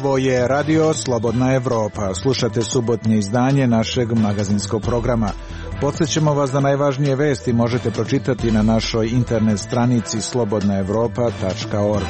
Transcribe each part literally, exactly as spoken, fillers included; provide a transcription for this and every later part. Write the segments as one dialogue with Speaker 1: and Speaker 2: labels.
Speaker 1: Ovo je Radio Slobodna Evropa. Slušate subotnje izdanje našeg magazinskog programa. Podsjećamo vas da najvažnije vesti možete pročitati na našoj internet stranici slobodna evropa tačka org.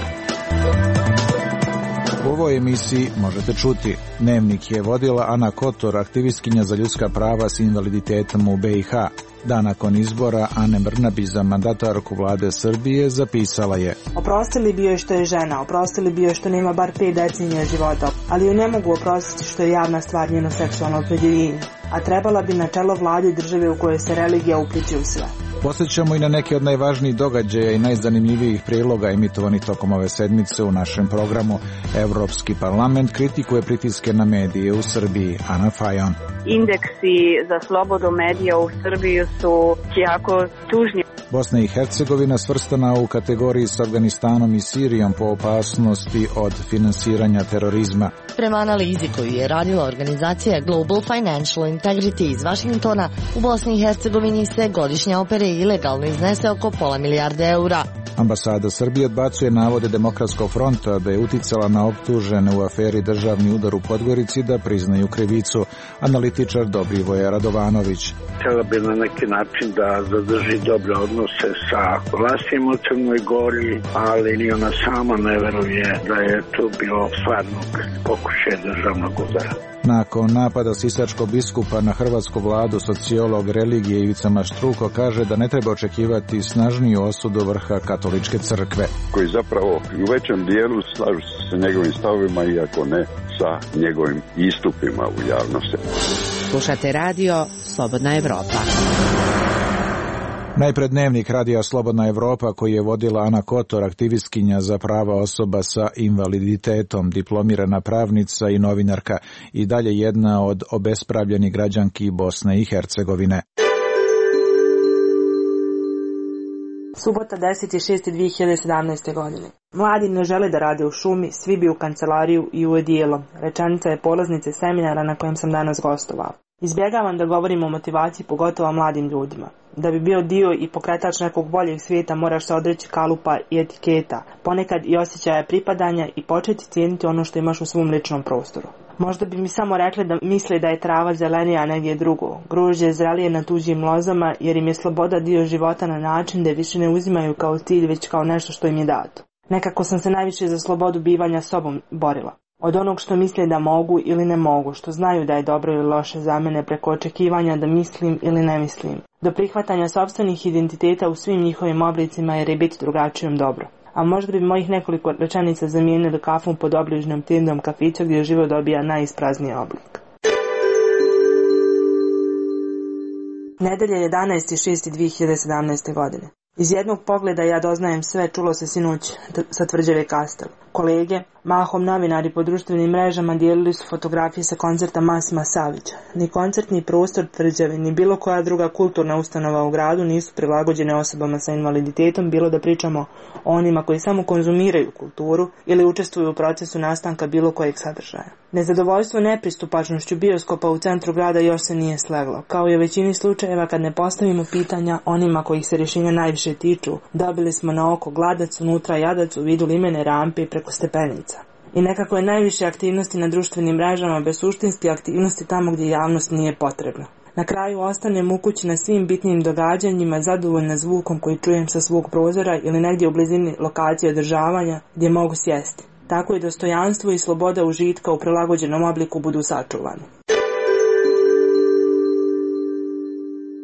Speaker 1: U ovoj emisiji možete čuti: Dnevnik je vodila Ana Kotor, aktivistkinja za ljudska prava s invaliditetom u be i ha. Dan nakon izbora Ane Brnabić za mandatarku vlade Srbije zapisala je:
Speaker 2: oprostili bi joj što je žena, oprostili bi joj što nema bar pet decenija života, ali joj ne mogu oprostiti što je javna stvar njeno seksualno opredjeljenje, a trebala bi na čelo vlade države u kojoj se religija upliče u sve.
Speaker 1: Posjećamo i na neke od najvažnijih događaja i najzanimljivijih priloga emitovanih tokom ove sedmice u našem programu. Evropski parlament kritikuje pritiske na medije u Srbiji. Ana Fajon.
Speaker 3: Indeksi za slobodu medija u Srbiji su jako tužni.
Speaker 1: Bosna i Hercegovina svrstana u kategoriji s Afganistanom i Sirijom po opasnosti od finansiranja terorizma.
Speaker 4: Prema analizi koju je radila organizacija Global Financial Integrity iz Vašingtona, u Bosni i Hercegovini se godišnja opere ilegalno iznese oko pola milijarde eura.
Speaker 1: Ambasada Srbije odbacuje navode Demokratskog fronta da je uticala na optužene u aferi Državni udar u Podgorici da priznaju krivicu. Analitičar Dobrivoje Radovanović.
Speaker 5: Htjela bi na neki način da zadrži dobre odnose sa vlastima u Crnoj Gori, ali ni ona sama ne veruje da je to bilo stvarnog pokušaja državnog udara.
Speaker 1: Nakon napada sisačkog biskupa na hrvatsku vladu, sociolog religije Ivica Maštruko kaže da ne treba očekivati snažniju osudu vrha katoličke crkve.
Speaker 6: Koji zapravo u većem dijelu slažu se sa njegovim stavovima, iako ne sa njegovim istupima u javnosti.
Speaker 7: Slušate radio Slobodna Evropa.
Speaker 1: Najpred Dnevnik radija Slobodna Evropa koji je vodila Ana Kotor, aktivistkinja za prava osoba sa invaliditetom, diplomirana pravnica i novinarka, i dalje jedna od obespravljenih građanki Bosne i Hercegovine.
Speaker 2: Subota deseti šesti dve hiljade sedamnaeste. godine. Mladi ne žele da rade u šumi, svi bi u kancelariju i u odijelo. Rečenica je polaznice seminara na kojem sam danas gostovao. Izbjegavam da govorim o motivaciji, pogotovo mladim ljudima. Da bi bio dio i pokretač nekog boljeg svijeta moraš se odreći kalupa i etiketa, ponekad i osjećaja pripadanja i početi cijeniti ono što imaš u svom ličnom prostoru. Možda bi mi samo rekli da misle da je trava zelenija, a negdje drugo. Grožđe zrelije na tuđim lozama jer im je sloboda dio života na način da je više ne uzimaju kao cilj već kao nešto što im je dato. Nekako sam se najviše za slobodu bivanja sobom borila. Od onog što misle da mogu ili ne mogu, što znaju da je dobro ili loše za mene, preko očekivanja da mislim ili ne mislim, do prihvatanja sopstvenih identiteta u svim njihovim oblicima jer je biti drugačijom dobro. A možda bi mojih nekoliko rečenica zamijenili kafom pod obližnjom tindom kafića gdje život dobija najisprazniji oblik. Nedelja jedanaesti šesti dve hiljade sedamnaeste. godine. Iz jednog pogleda ja doznajem sve, čulo se sinoć sa Tvrđave Kastel. Kolege, mahom novinari po društvenim mrežama dijelili su fotografije sa koncerta Masima Savića. Ni koncertni prostor Tvrđave, ni bilo koja druga kulturna ustanova u gradu nisu prilagođene osobama sa invaliditetom, bilo da pričamo o onima koji samo konzumiraju kulturu ili učestvuju u procesu nastanka bilo kojeg sadržaja. Nezadovoljstvo nepristupačnošću bioskopa u centru grada još se nije sleglo. Kao i u većini slučajeva kad ne postavimo pitanja onima kojih se rješenja najviše tiču, dobili smo na oko gladac, unutra jadac u vidu limene rampe i preko stepenica. I nekako je najviše aktivnosti na društvenim mrežama bez suštinske aktivnosti tamo gdje javnost nije potrebna. Na kraju ostanem u kući na svim bitnim događanjima, zadovoljna zvukom koji čujem sa svog prozora ili negdje u blizini lokacije održavanja gdje mogu sjesti. Tako i dostojanstvo i sloboda užitka u prilagođenom obliku budu sačuvani.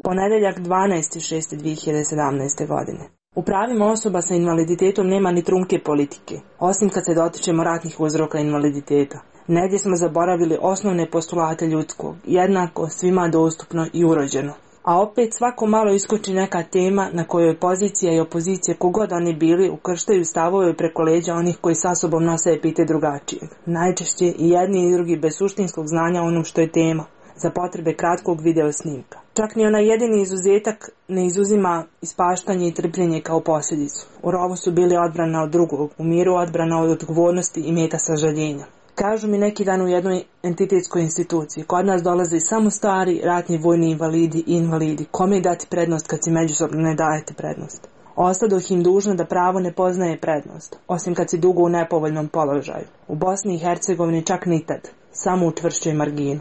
Speaker 2: Ponedeljak dvanaesti šesti dve hiljade sedamnaeste. godine. U pravima osoba sa invaliditetom nema ni trunke politike, osim kad se dotičemo ratnih uzroka invaliditeta. Negdje smo zaboravili osnovne postulate ljudskog, jednako, svima dostupno i urođeno. A opet svako malo iskoči neka tema na kojoj pozicija i opozicija, kogod oni bili, ukrštaju stavove preko leđa onih koji sa sobom nose epite drugačijeg. Najčešće i jedni i drugi bez suštinskog znanja onom što je tema, za potrebe kratkog video snimka. Čak ni onaj jedini izuzetak ne izuzima ispaštanje i trpljenje kao posljedicu. U rovu su bili odbrana od drugog, u miru odbrana od odgovornosti i meta sažaljenja. Kažu mi neki dan u jednoj entitetskoj instituciji, kod nas dolaze samo stari, ratni vojni invalidi i invalidi. Kome dati prednost kad si međusobno ne dajete prednost? Ostadoh im dužno da pravo ne poznaje prednost, osim kad si dugo u nepovoljnom položaju. U Bosni i Hercegovini čak ni tad, samo u čvršćoj marginu.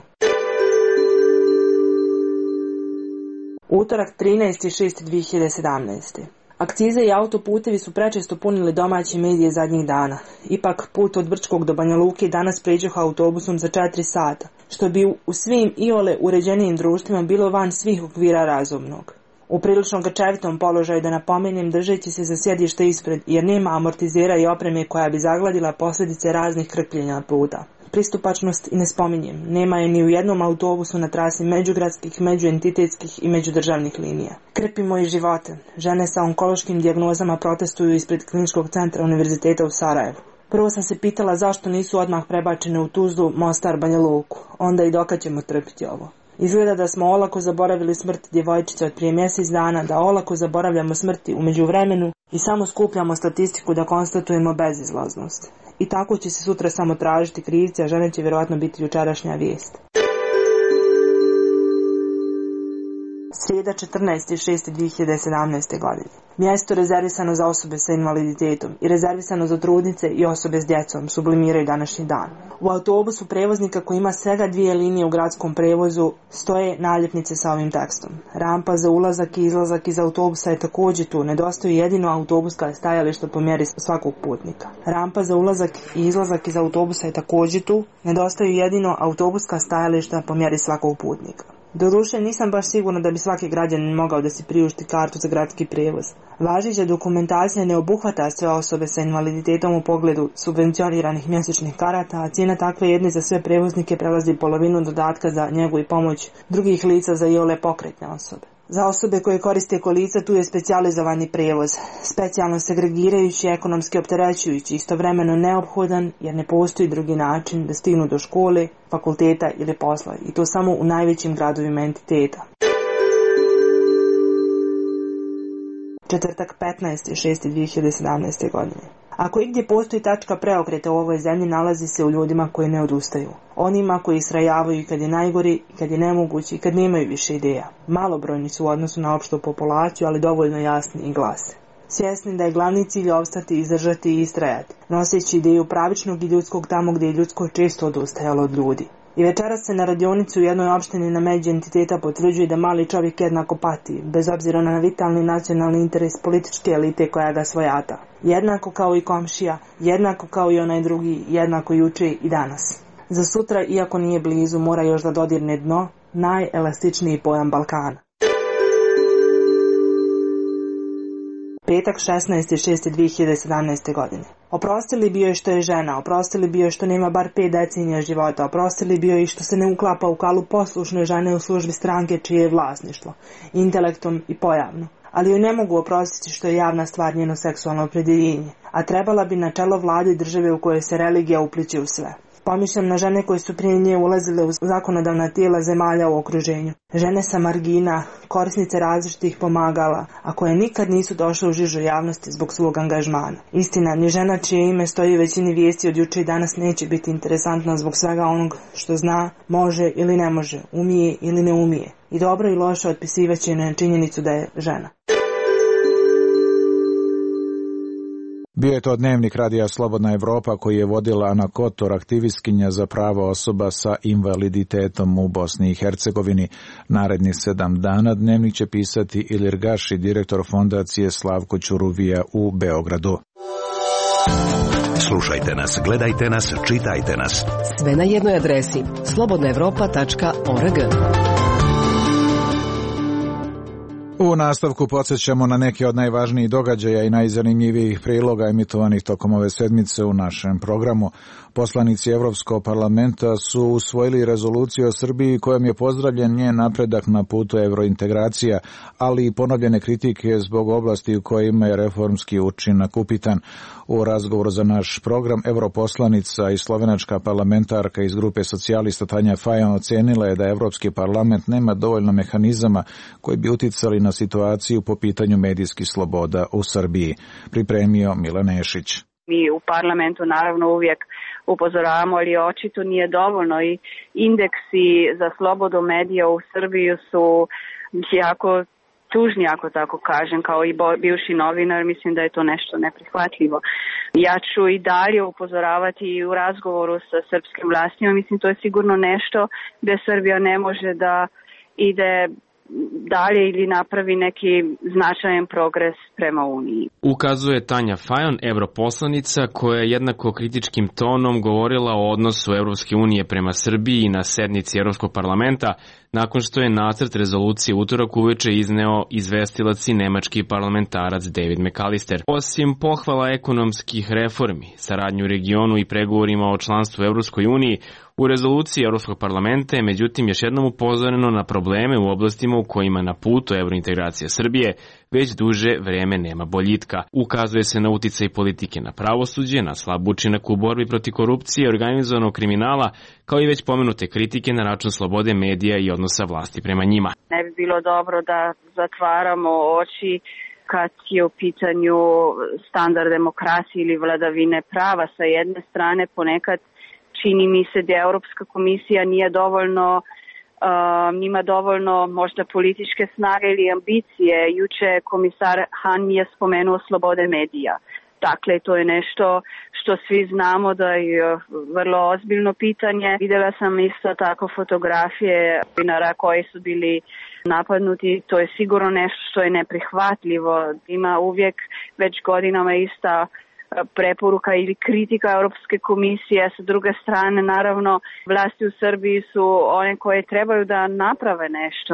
Speaker 2: Utorak trinaesti šesti dve hiljade sedamnaeste. Akcize i autoputevi su prečesto punili domaće medije zadnjih dana. Ipak put od Brčkog do Banja Luke danas pređoh autobusom za četiri sata, što bi u svim iole uređenijim društvima bilo van svih okvira razumnog. U prilično grčevitom položaju da napomenem držeći se za sjedište ispred, jer nema amortizera i opreme koja bi zagladila posljedice raznih krpljenja puta. Pristupačnost i ne spominjem, nema je ni u jednom autobusu na trasi međugradskih, međuentitetskih i međudržavnih linija. Krpimo i živote. Žene sa onkološkim dijagnozama protestuju ispred Kliničkog centra Univerziteta u Sarajevu. Prvo sam se pitala zašto nisu odmah prebačene u Tuzlu, Mostar, Banja Luku. Onda i dokad ćemo trpiti ovo. Izgleda da smo olako zaboravili smrt djevojčice od prije mjesec dana, da olako zaboravljamo smrti u međuvremenu i samo skupljamo statistiku da konstatujemo bezizlaznost. I tako će se sutra samo tražiti krivci, a žene će vjerojatno biti jučerašnja vijest. Srijeda četrnaesti šesti dve hiljade sedamnaeste. godine. Mjesto rezervisano za osobe sa invaliditetom i rezervisano za trudnice i osobe s djecom sublimiraju današnji dan. U autobusu prevoznika koji ima svega dvije linije u gradskom prevozu stoje naljepnice sa ovim tekstom. Rampa za ulazak i izlazak iz autobusa je također tu, nedostaju jedino autobuska stajališta po mjeri svakog putnika. Rampa za ulazak i izlazak iz autobusa je također tu, nedostaju jedino autobuska stajališta po mjeri svakog putnika. Doduše, nisam baš sigurna da bi svaki građanin mogao da si priušti kartu za gradski prijevoz. Važeća dokumentacija ne obuhvata sve osobe sa invaliditetom u pogledu subvencioniranih mjesečnih karata, a cijena takve jedne za sve prevoznike prelazi polovinu dodatka za njegu i pomoć drugih lica za iole pokretne osobe. Za osobe koje koriste kolica tu je specijalizovani prijevoz, specijalno segregirajući, ekonomski opterećujući, istovremeno neophodan jer ne postoji drugi način da stignu do škole, fakulteta ili posla, i to samo u najvećim gradovima entiteta. Četvrtak petnaesti šesti dve hiljade sedamnaeste. godine. Ako igdje postoji tačka preokreta u ovoj zemlji, nalazi se u ljudima koji ne odustaju. Onima koji israjavaju kad je najgori, kad je nemogući i kad nemaju više ideja. Malobrojni su u odnosu na opštu populaciju, ali dovoljno jasni i glase. Svjesni da je glavni cilj opstati, izdržati i istrajati, noseći ideju pravičnog i ljudskog tamo gdje je ljudsko često odustajalo od ljudi. I večeras se na radionicu u jednoj opštini na među entiteta potvrđuje da mali čovjek jednako pati, bez obzira na vitalni nacionalni interes političke elite koja ga svojata. Jednako kao i komšija, jednako kao i onaj drugi, jednako juče i danas. Za sutra, iako nije blizu, mora još da dodirne dno, najelastičniji pojam Balkana. Petak šesnaesti šesti dve hiljade sedamnaeste. godine. Oprostili bi joj što je žena, oprostili bi joj što nema bar pet decenija života, oprostili bi joj što se ne uklapa u kalu poslušne žene u službi stranke čije je vlasništvo, intelektom i pojavno. Ali joj ne mogu oprostiti što je javna stvar njeno seksualno opredjeljenje, a trebala bi na čelo vlade države u kojoj se religija upliče u sve. Pomišljam na žene koje su prije nje ulazile u zakonodavna tijela zemalja u okruženju. Žene sa margina, korisnice različitih pomagala, a koje nikad nisu došle u žižu javnosti zbog svog angažmana. Istina, ni žena čije ime stoji u većini vijesti od juče i danas neće biti interesantna zbog svega onog što zna, može ili ne može, umije ili ne umije. I dobro i loše otpisivaće na činjenicu da je žena.
Speaker 1: Bio je to dnevnik Radija Slobodna Evropa koji je vodila Ana Kotor, aktivistkinja za prava osoba sa invaliditetom u Bosni i Hercegovini. Narednih sedam dana dnevnik će pisati Ilir Gaši, direktor fondacije Slavko Ćuruvija u Beogradu.
Speaker 8: Slušajte nas, gledajte nas, čitajte nas.
Speaker 7: Sve na jednoj adresi slobodna evropa tačka org.
Speaker 1: U nastavku podsjećamo na neke od najvažnijih događaja i najzanimljivijih priloga emitovanih tokom ove sedmice u našem programu. Poslanici Evropskog parlamenta su usvojili rezoluciju o Srbiji kojom je pozdravljen njen napredak na putu evrointegracija, ali i ponovljene kritike zbog oblasti u kojima je reformski učinak upitan. U razgovoru za naš program europoslanica i slovenačka parlamentarka iz grupe socijalista Tanja Fajon ocenila je da Evropski parlament nema dovoljno mehanizama koji bi uticali na situaciju po pitanju medijskih sloboda u Srbiji. Pripremio Milan Nešić.
Speaker 3: Mi u parlamentu naravno uvijek upozoravamo, ali očito nije dovoljno i indeksi za slobodu medija u Srbiji su jako tužni, ako tako kažem, kao i bivši novinar, mislim da je to nešto neprihvatljivo. Ja ću i dalje upozoravati u razgovoru sa srpskim vlastima, mislim to je sigurno nešto gde Srbija ne može da ide dalje ili napravi neki značajan progres prema Uniji.
Speaker 9: Ukazuje Tanja Fajon, europoslanica, koja je jednako kritičkim tonom govorila o odnosu Evropske unije prema Srbiji na sednici Evropskog parlamenta, nakon što je nacrt rezolucije utorak uveče izneo izvestilac i nemački parlamentarac David McAllister. Osim pohvala ekonomskih reformi, saradnju u regionu i pregovorima o članstvu u Evropskoj uniji, u rezoluciji Evropskog parlamenta je međutim još jednom upozoreno na probleme u oblastima u kojima na putu evrointegracije Srbije već duže vreme nema boljitka. Ukazuje se na uticaj politike na pravosuđe, na slab učinak u borbi protiv korupcije i organizovanog kriminala, kao i već pomenute kritike na račun slobode medija i odnosa vlasti prema njima.
Speaker 3: Ne bi bilo dobro da zatvaramo oči kad je u pitanju standard demokracije ili vladavine prava. Sa jedne strane ponekad čini mi se da Europska komisija nije dovoljno Uh, nima dovoljno možda političke snage ili ambicije. Juče komisar Han je spomenuo slobode medija. Dakle, to je nešto što svi znamo da je vrlo ozbiljno pitanje. Videla sam isto tako fotografije novinara koji su bili napadnuti. To je sigurno nešto što je neprihvatljivo. Ima uvijek već godinama ista preporuka ili kritika Europske komisije. Sa druge strane, naravno, vlasti u Srbiji su one koje trebaju da naprave nešto.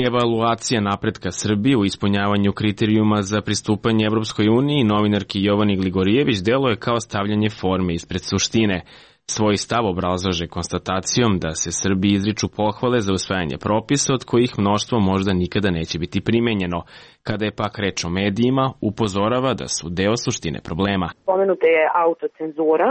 Speaker 9: Evaluacija napretka Srbije u ispunjavanju kriterijuma za pristupanje Evropskoj uniji novinarki Jovani Gligorijević deluje kao stavljanje forme ispred suštine. Svoj stav obrazlaže konstatacijom da se Srbiji izriču pohvale za usvajanje propisa od kojih mnoštvo možda nikada neće biti primenjeno. Kada je pak reč o medijima, upozorava da su deo suštine problema.
Speaker 10: Pomenuta je autocenzura,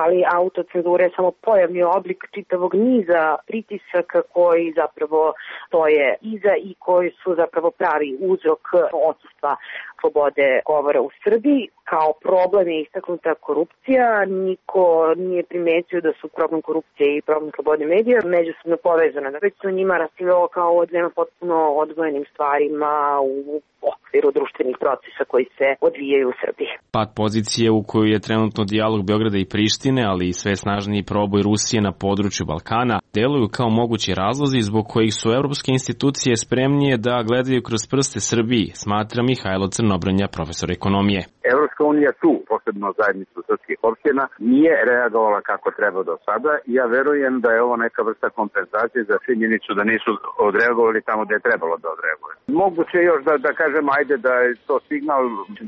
Speaker 10: ali autocenzura je samo pojavni oblik čitavog niza pritisaka koji zapravo stoje iza i koji su zapravo pravi uzrok odsustva slobode govora u Srbiji. Kao problem je istaknuta korupcija. Niko nije primetio da su problem korupcije i problem slobode medija međusobno povezane. Već su njima raspravljalo kao o dvema potpuno odvojenim stvarima u okviru društvenih procesa koji se odvijaju u Srbiji.
Speaker 9: Pad pozicije u koju je trenutno dijalog Beograda i Prištine, ali i sve snažniji proboj Rusije na području Balkana, deluju kao mogući razlozi zbog kojih su evropske institucije spremnije da gledaju kroz prste Srbiji, smatra Mihajlo Crnobrnja, profesor ekonomije.
Speaker 11: Evropska unija tu, posebno zajednicu srpskih opština, nije reagovala kako treba do sada i ja verujem da je ovo neka vrsta kompenzacije za činjenicu da nisu odreagovali tamo gde je trebalo da odreagovali. Moguće još da, da kažem, ajde da je to signal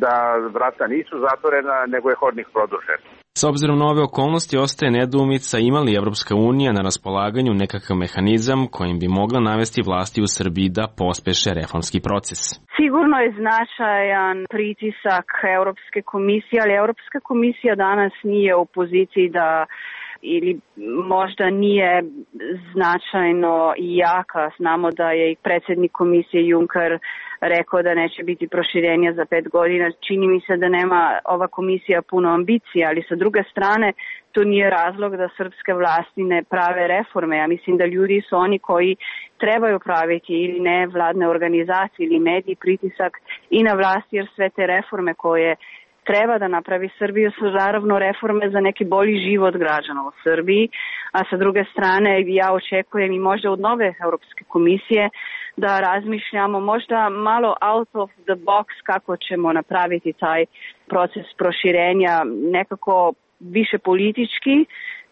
Speaker 11: da vrata nisu zatvorena, nego je hodnik produžen.
Speaker 9: S obzirom na ove okolnosti ostaje nedoumica ima li Evropska unija na raspolaganju nekakav mehanizam kojim bi mogla navesti vlasti u Srbiji da pospeše reformski proces.
Speaker 3: Sigurno je značajan pritisak Europske komisije, ali Europska komisija danas nije u poziciji da ili možda nije značajno jaka. Znamo da je i predsjednik komisije Juncker rekao da neće biti proširenja za pet godina. Čini mi se da nema ova komisija puno ambicija, ali sa druge strane to nije razlog da srpske vlasti ne prave reforme. Ja mislim da ljudi su oni koji trebaju praviti ili ne vladne organizacije ili mediji pritisak i na vlasti, jer sve te reforme koje treba da napravi Srbiju su naravno reforme za neki bolji život građana u Srbiji, a sa druge strane ja očekujem i možda od nove Europske komisije da razmišljamo možda malo out of the box kako ćemo napraviti taj proces proširenja nekako više politički,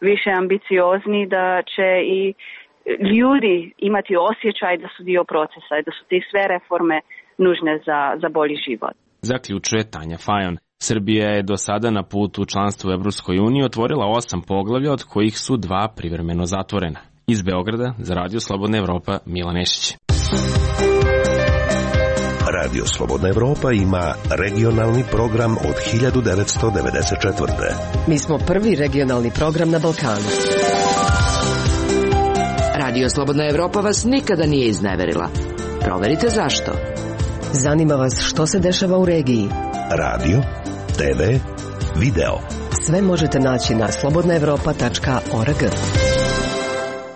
Speaker 3: više ambiciozni, da će i ljudi imati osjećaj da su dio procesa i da su te sve reforme nužne za, za bolji život.
Speaker 9: Zaključuje Tanja Fajon. Srbija je do sada na putu u članstvu u Evropskoj uniji otvorila osam poglavlja, od kojih su dva privremeno zatvorena. Iz Beograda za Radio Slobodna Evropa, Milan Nešić.
Speaker 8: Radio Slobodna Evropa ima regionalni program od hiljadu devetsto devedeset četvrte.
Speaker 7: Mi smo prvi regionalni program na Balkanu.
Speaker 12: Radio Slobodna Evropa vas nikada nije izneverila. Proverite zašto.
Speaker 7: Zanima vas što se dešava u regiji.
Speaker 8: Radio, te ve, video.
Speaker 7: Sve možete naći na slobodna evropa tačka org.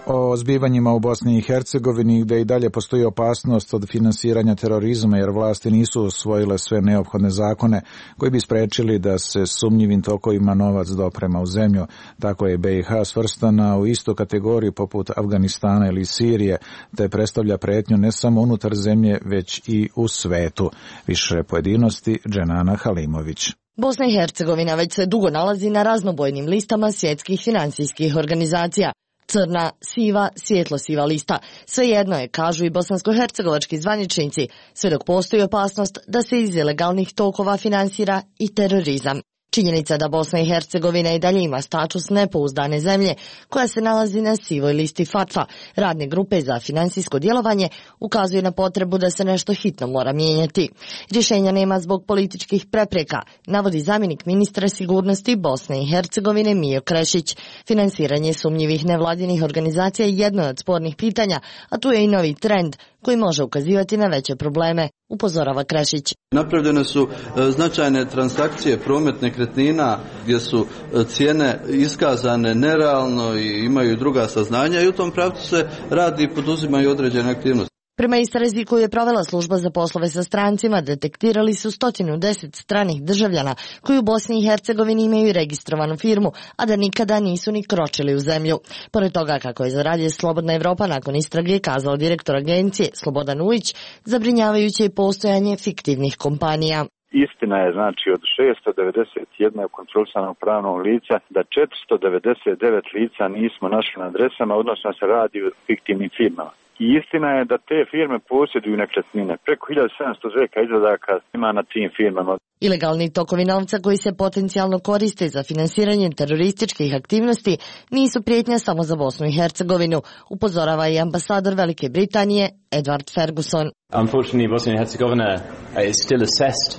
Speaker 1: O zbivanjima u Bosni i Hercegovini, gde i dalje postoji opasnost od finansiranja terorizma jer vlasti nisu usvojile sve neophodne zakone koji bi sprečili da se sumnjivim tokovima novac doprema u zemlju. Tako je B i H svrstana u istu kategoriju poput Afganistana ili Sirije, te predstavlja pretnju ne samo unutar zemlje, već i u svetu. Više pojedinosti Dženana Halimović.
Speaker 4: Bosna i Hercegovina već se dugo nalazi na raznobojnim listama svjetskih finansijskih organizacija. Crna, siva, svjetlo-siva lista. Svejedno je, kažu i bosansko-hercegovački zvaničnici, sve dok postoji opasnost da se iz ilegalnih tokova finansira i terorizam. Činjenica da Bosna i Hercegovina i dalje ima status nepouzdane zemlje koja se nalazi na sivoj listi FATF-a, radne grupe za finansijsko djelovanje, ukazuje na potrebu da se nešto hitno mora mijenjati. Rješenja nema zbog političkih prepreka, navodi zamjenik ministra sigurnosti Bosne i Hercegovine Mijo Krešić. Finansiranje sumnjivih nevladinih organizacija je jedno od spornih pitanja, a tu je i novi trend koji može ukazivati na veće probleme, upozorava Krešić.
Speaker 13: Napravljene su značajne transakcije, promet nekretnina gdje su cijene iskazane nerealno i imaju druga saznanja i u tom pravcu se radi i poduzimaju određene aktivnosti.
Speaker 4: Prema istrazi koju je provela služba za poslove sa strancima, detektirali su sto deset stranih državljana koji u Bosni i Hercegovini imaju registrovanu firmu, a da nikada nisu ni kročili u zemlju. Pored toga, kako je za Radio Slobodna Evropa nakon istrage kazao direktor agencije Slobodan Ujić, zabrinjavajuće je postojanje fiktivnih kompanija.
Speaker 14: Istina je, znači, od šesto devedeset jedan kontrolisanog pravnog lica da četiristo devedeset devet lica nismo našli na adresama, odnosno se radi o fiktivnim firmama. I istina je da te firme posjeduju nekretnine. Preko hiljadu sedamsto zveka izvadaka ima na tim firmama.
Speaker 4: Ilegalni tokovi novca koji se potencijalno koriste za finansiranje terorističkih aktivnosti nisu prijetnja samo za Bosnu i Hercegovinu, upozorava i ambasador Velike Britanije Edward Ferguson.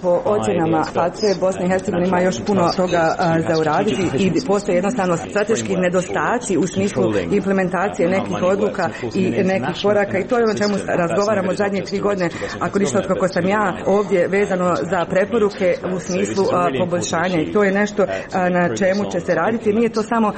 Speaker 15: Po ocjenama FATF-e Bosna i Hercegovina ima još puno toga za uraditi i postoje jednostavno strateški nedostaci u smislu implementacije nekih odluka i nekih koraka i to je ono čemu razgovaramo zadnje tri godine, ako ništa od kako sam ja ovdje vezano za preporuke u smislu poboljšanja i to je nešto na čemu će se raditi. Nije to samo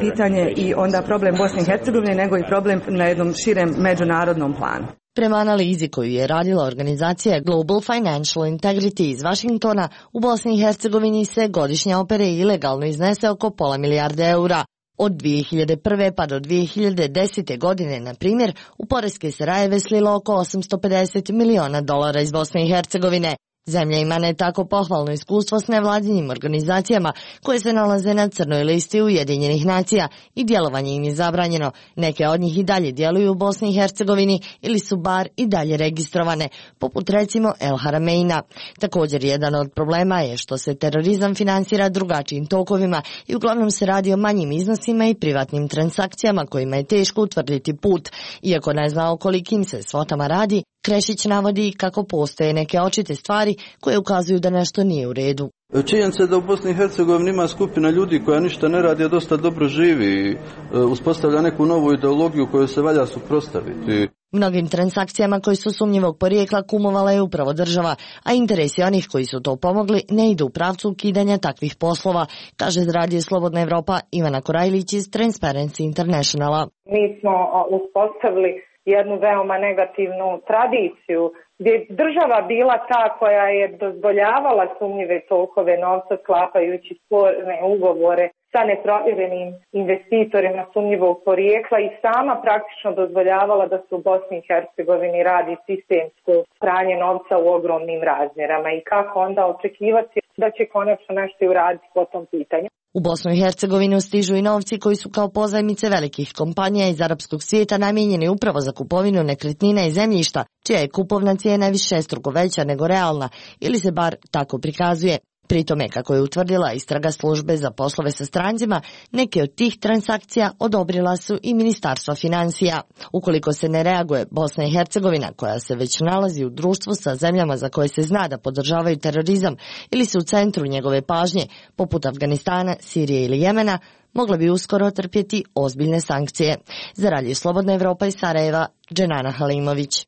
Speaker 15: pitanje i onda problem Bosne i Hercegovine, nego i problem na jednom širem međunarodnom planu.
Speaker 4: Prema analizi koju je radila organizacija Global Financial Integrity iz Vašingtona, u Bosni i Hercegovini se godišnja opere ilegalno iznese oko pola milijarde eura. Od dvije hiljade prve pa do dvije hiljade desete godine, na primjer, u poreske se rajeve slilo oko osamsto pedeset miliona dolara iz Bosne i Hercegovine. Zemlja ima ne tako pohvalno iskustvo s nevladinim organizacijama koje se nalaze na crnoj listi Ujedinjenih nacija i djelovanje im je zabranjeno. Neke od njih i dalje djeluju u Bosni i Hercegovini ili su bar i dalje registrovane, poput recimo El Harameina. Također jedan od problema je što se terorizam finansira drugačijim tokovima i uglavnom se radi o manjim iznosima i privatnim transakcijama kojima je teško utvrditi put. Iako ne zna o kolikim se svotama radi, Krešić navodi kako postoje neke očite stvari koje ukazuju da nešto nije u redu.
Speaker 13: Činjenica je da u Bosni i Hercegovini ima skupina ljudi koja ništa ne radi, a dosta dobro živi i uspostavlja neku novu ideologiju koju se valja suprotstaviti.
Speaker 4: Mnogim transakcijama koji su sumnjivog porijekla kumovala je upravo država, a interesi onih koji su to pomogli ne idu u pravcu ukidanja takvih poslova, kaže Radio Slobodna Evropa Ivana Korajlić iz Transparency Internationala.
Speaker 16: Mi smo uspostavili jednu veoma negativnu tradiciju gdje je država bila ta koja je dozvoljavala sumnjive tokove novca sklapajući sporne ugovore sa neprovjerenim investitorima sumnjivog porijekla i sama praktično dozvoljavala da se u Bosni i Hercegovini radi sistemsko pranje novca u ogromnim razmjerama i kako onda očekivati da će konačno nešto i uraditi po tom pitanju.
Speaker 4: U Bosnu i Hercegovinu stižu i novci koji su kao pozajmice velikih kompanija iz arapskog svijeta namijenjeni upravo za kupovinu nekretnina i zemljišta, čija je kupovna cijena višestruko veća nego realna, ili se bar tako prikazuje. Pri tome, kako je utvrdila istraga službe za poslove sa strancima, neke od tih transakcija odobrila su i Ministarstva financija. Ukoliko se ne reaguje, Bosna i Hercegovina, koja se već nalazi u društvu sa zemljama za koje se zna da podržavaju terorizam ili su u centru njegove pažnje, poput Afganistana, Sirije ili Jemena, mogla bi uskoro trpjeti ozbiljne sankcije. Za Radio Slobodna Evropa iz Sarajeva, Dženana Halimović.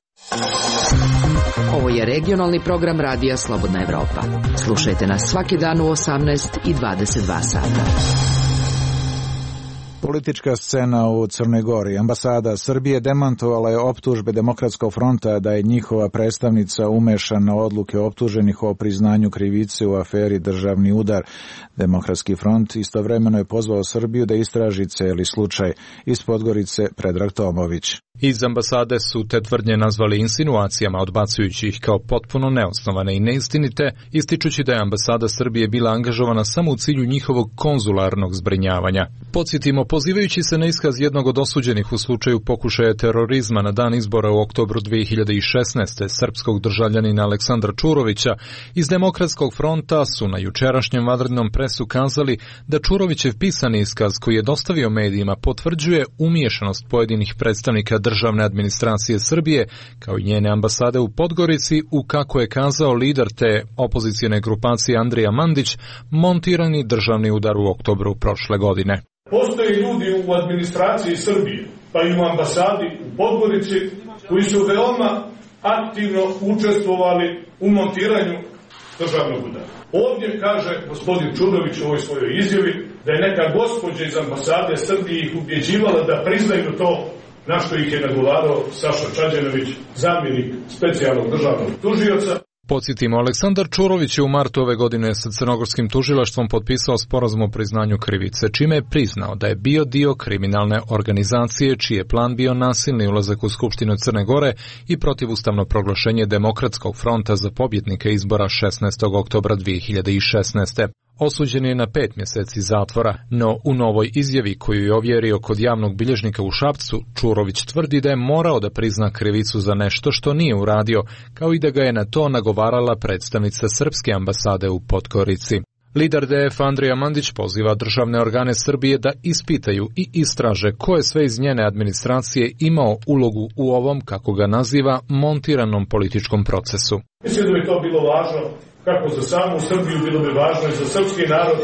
Speaker 12: Ovo je regionalni program Radija Slobodna Evropa. Slušajte nas svaki dan u osamnaest i dvadeset dva sata.
Speaker 1: Politička scena u Crnoj Gori. Ambasada Srbije demantovala je optužbe Demokratskog fronta da je njihova predstavnica umešana odluke optuženih o priznanju krivice u aferi Državni udar. Demokratski front istovremeno je pozvao Srbiju da istraži celi slučaj. Iz Podgorice Predrag Tomović.
Speaker 17: Iz ambasade su te tvrdnje nazvali insinuacijama, odbacujući ih kao potpuno neosnovane i neistinite, ističući da je ambasada Srbije bila angažovana samo u cilju njihovog konzularnog zbrinjavanja. Podsjetimo, pozivajući se na iskaz jednog od osuđenih u slučaju pokušaja terorizma na dan izbora u oktobru dve hiljade šesnaeste. srpskog državljanina Aleksandra Čurovića, iz Demokratskog fronta su na jučerašnjem vanrednom presu kazali da Čurovićev pisani iskaz koji je dostavio medijima potvrđuje umiješanost pojedinih predstavnika državne administracije Srbije, kao i njene ambasade u Podgorici, u, kako je kazao lider te opozicijne grupacije Andrija Mandić, montirani državni udar u oktobru prošle godine.
Speaker 18: Postoje ljudi u administraciji Srbije, pa i u ambasadi u Podgorici, koji su veoma aktivno učestvovali u montiranju državnog udara. Ovdje kaže gospodin Čurović u ovoj svojoj izjavi da je neka gospođa iz ambasade Srbije ih ubjeđivala da priznaju to, na što ih je nagovarao Saša Čađanović, zamjenik specijalnog državnog tužioca.
Speaker 17: Podsjetimo, Aleksandar Čurović je u martu ove godine sa crnogorskim tužilaštvom potpisao sporazum o priznanju krivice, čime je priznao da je bio dio kriminalne organizacije čiji je plan bio nasilni ulazak u Skupštinu Crne Gore i protivustavno proglašenje Demokratskog fronta za pobjednika izbora šesnaestog oktobra dve hiljade šesnaeste. Osuđen je na pet mjeseci zatvora, no u novoj izjavi koju je ovjerio kod javnog bilježnika u Šapcu, Čurović tvrdi da je morao da prizna krivicu za nešto što nije uradio, kao i da ga je na to nagovarala predstavnica srpske ambasade u Podgorici. Lider D F Andrija Mandić poziva državne organe Srbije da ispitaju i istraže ko je sve iz njene administracije imao ulogu u ovom, kako ga naziva, montiranom političkom procesu.
Speaker 18: Mislim da bi to bilo važno kako za samu Srbiju, bilo bi važno i za srpski narod,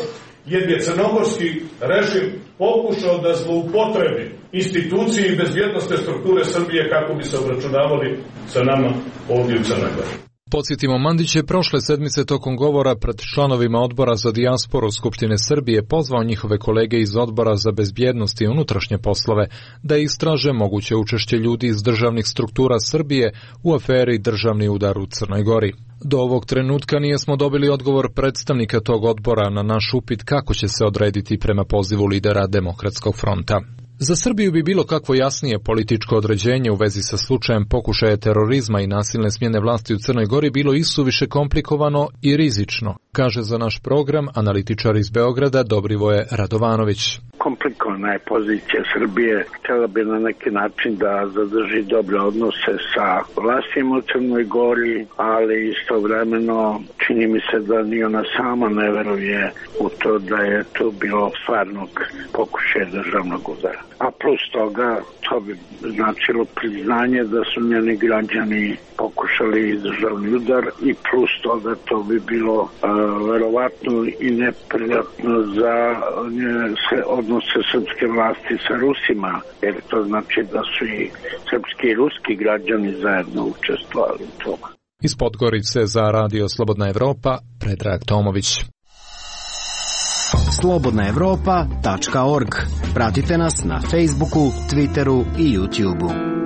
Speaker 18: jer je crnogorski režim pokušao da zloupotrebi institucije i bezbjednostne strukture Srbije kako bi se obračunavali sa nama ovdje u Crnoj Gori.
Speaker 17: Podsjetimo, Mandić je prošle sedmice tokom govora pred članovima odbora za dijasporu Skupštine Srbije pozvao njihove kolege iz odbora za bezbjednost i unutrašnje poslove da istraže moguće učešće ljudi iz državnih struktura Srbije u aferi Državni udar u Crnoj Gori. Do ovog trenutka nijesmo dobili odgovor predstavnika tog odbora na naš upit kako će se odrediti prema pozivu lidera Demokratskog fronta. Za Srbiju bi bilo kakvo jasnije političko određenje u vezi sa slučajem pokušaja terorizma i nasilne smjene vlasti u Crnoj Gori bilo isuviše komplikovano i rizično, kaže za naš program analitičar iz Beograda Dobrivoje Radovanović.
Speaker 5: Komplikovana je pozicija Srbije, htjela bi na neki način da zadrži dobre odnose sa vlastima u Crnoj Gori, ali istovremeno čini mi se da ni ona sama ne veruje u to da je to bilo stvarnog pokušaja državnog udara. A plus toga, to bi značilo priznanje da su njeni građani pokušali državni udar i plus toga to bi bilo uh, verovatno i neprijatno za uh, odnose srpske vlasti sa Rusima, jer to znači da su i srpski i ruski građani zajedno učestvovali u tome.
Speaker 17: Iz Podgorice za Radio Slobodna Evropa, Predrag Tomović.
Speaker 19: slobodna evropa tačka org. Pratite nas na Facebooku, Twitteru i YouTubeu.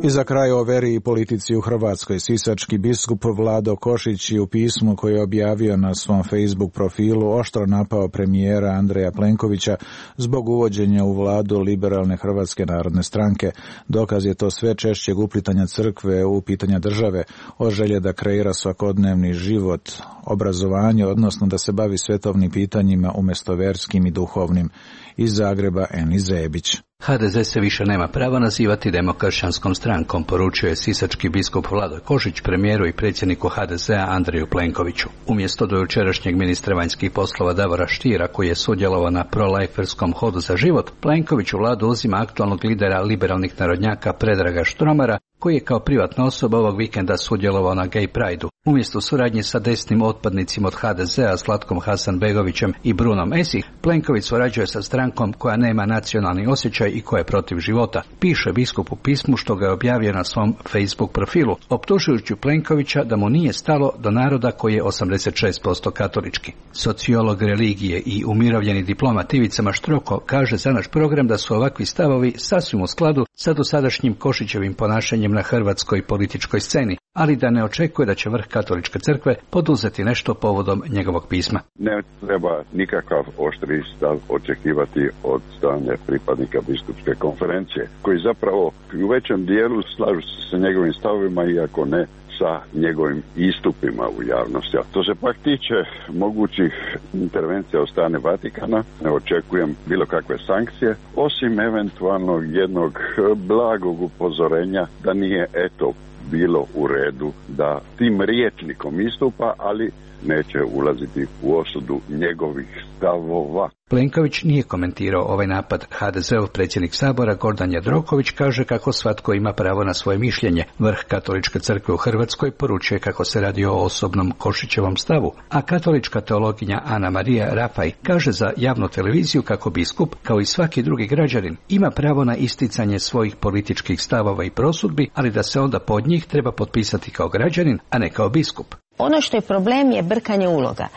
Speaker 1: I za kraj o veri i politici u Hrvatskoj. Sisački biskup Vlado Košić je u pismu koje je objavio na svom Facebook profilu oštro napao premijera Andreja Plenkovića zbog uvođenja u vladu liberalne Hrvatske narodne stranke. Dokaz je to sve češćeg uplitanja crkve u pitanja države, o želje da kreira svakodnevni život, obrazovanje, odnosno da se bavi svetovnim pitanjima umjesto verskim i duhovnim. Iz Zagreba Eni Zebić.
Speaker 20: ha de ze se više nema prava nazivati demokršćanskom strankom, poručio je sisački biskup Vlado Košić premijeru i predsjedniku ha de zea Andreju Plenkoviću. Umjesto dojučerašnjeg ministra vanjskih poslova Davora Štira, koji je sudjelovao na prolajferskom hodu za život, Plenković u vladu uzima aktualnog lidera liberalnih narodnjaka Predraga Štromara koji je kao privatna osoba ovog vikenda sudjelovao na Gay Prideu. Umjesto suradnje sa desnim otpadnicima od ha de zea, Zlatkom Hasanbegovićem i Brunom Esih, Plenković surađuje sa strankom koja nema nacionalni osjećaj i koja je protiv života, piše biskup u pismu što ga je objavio na svom Facebook profilu, optužujući Plenkovića da mu nije stalo do naroda koji je osamdeset šest posto katolički. Sociolog religije i umirovljeni diplomat Ivica Maštroko kaže za naš program da su ovakvi stavovi sasvim u skladu sa dosadašnjim Košićevim ponašanjem na hrvatskoj političkoj sceni, ali da ne očekuje da će vrh katoličke crkve poduzeti nešto povodom njegovog pisma.
Speaker 6: Ne treba nikakav oštri stav očekivati od strane pripadnika biskupske konferencije, koji zapravo u većem dijelu slažu se sa njegovim stavovima, iako ne sa njegovim istupima u javnosti. A to se pak tiče mogućih intervencija od strane Vatikana, ne očekujem bilo kakve sankcije, osim eventualnog jednog blagog upozorenja da nije eto bilo u redu da tim rječnikom istupa, ali neće ulaziti u osudu njegovih stavova.
Speaker 20: Plenković nije komentirao ovaj napad. ha de zeov predsjednik Sabora Gordan Jandroković kaže kako svatko ima pravo na svoje mišljenje. Vrh katoličke crkve u Hrvatskoj poručuje kako se radi o osobnom Košićevom stavu, a katolička teologinja Ana Marija Rafaj kaže za javnu televiziju kako biskup, kao i svaki drugi građanin, ima pravo na isticanje svojih političkih stavova i prosudbi, ali da se onda pod njih treba potpisati kao građanin, a ne kao biskup.
Speaker 21: Ono što je problem je brkanje uloga.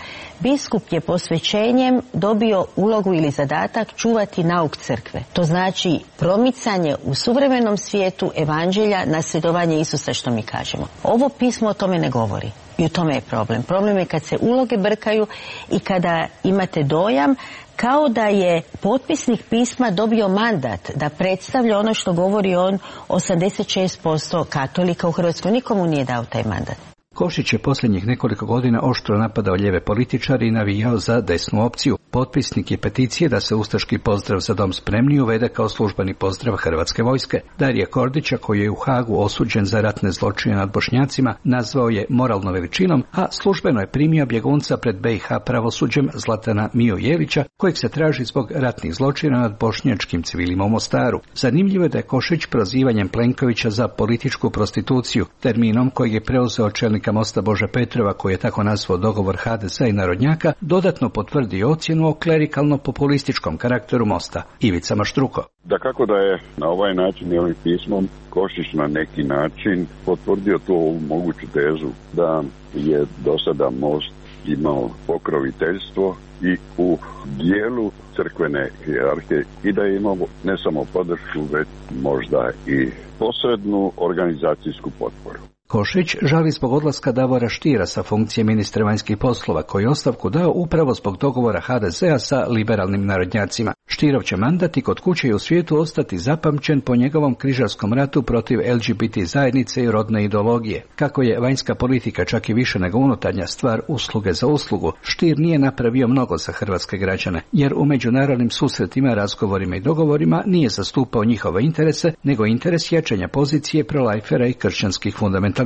Speaker 21: Biskup je posvećenjem dobio ulogu ili zadatak čuvati nauk crkve. To znači promicanje u suvremenom svijetu evanđelja, nasljedovanje Isusa, što mi kažemo. Ovo pismo o tome ne govori. I u tome je problem. Problem je kad se uloge brkaju i kada imate dojam kao da je potpisnik pisma dobio mandat da predstavlja ono što govori on, osamdeset šest posto katolika u Hrvatskoj. Nikomu nije dao taj mandat.
Speaker 20: Košić je posljednjih nekoliko godina oštro napadao lijeve političare i navijao za desnu opciju. Potpisnik je peticije da se ustaški pozdrav za dom spremni uvede kao službeni pozdrav Hrvatske vojske. Darija Kordića, koji je u Hagu osuđen za ratne zločine nad Bošnjacima, nazvao je moralno veličinom, a službeno je primio bjegunca pred be i ha pravosuđem Zlatana Miju Jelića, kojeg se traži zbog ratnih zločina nad bošnjačkim civilima u Mostaru. Zanimljivo je da je Košić prozivanjem Plenkovića za političku prostituciju, terminom kojeg je preuzeo čelnik Mosta Bože Petrova, koji je tako nazvao dogovor ha de zea i narodnjaka, dodatno potvrdi ocjenu o klerikalno-populističkom karakteru Mosta. Ivica Maštruko.
Speaker 6: Da kako da je na ovaj način i ovim pismom Košić na neki način potvrdio tu moguću tezu da je do sada Most imao pokroviteljstvo i u dijelu crkvene hijerarhije i da je imao ne samo podršku, već možda i posrednu organizacijsku potporu.
Speaker 20: Košić žali zbog odlaska Davora Štira sa funkcije ministra vanjskih poslova, koji je ostavku dao upravo zbog dogovora ha de zea sa liberalnim narodnjacima. Štirov će mandat i kod kuće i u svijetu ostati zapamćen po njegovom križarskom ratu protiv el ge be te zajednice i rodne ideologije. Kako je vanjska politika čak i više nego unutarnja stvar usluge za uslugu, Štir nije napravio mnogo za hrvatske građane, jer u međunarodnim susretima, razgovorima i dogovorima nije zastupao njihove interese, nego interes jačanja pozicije prolajfera i kršćanskih fundamentalista.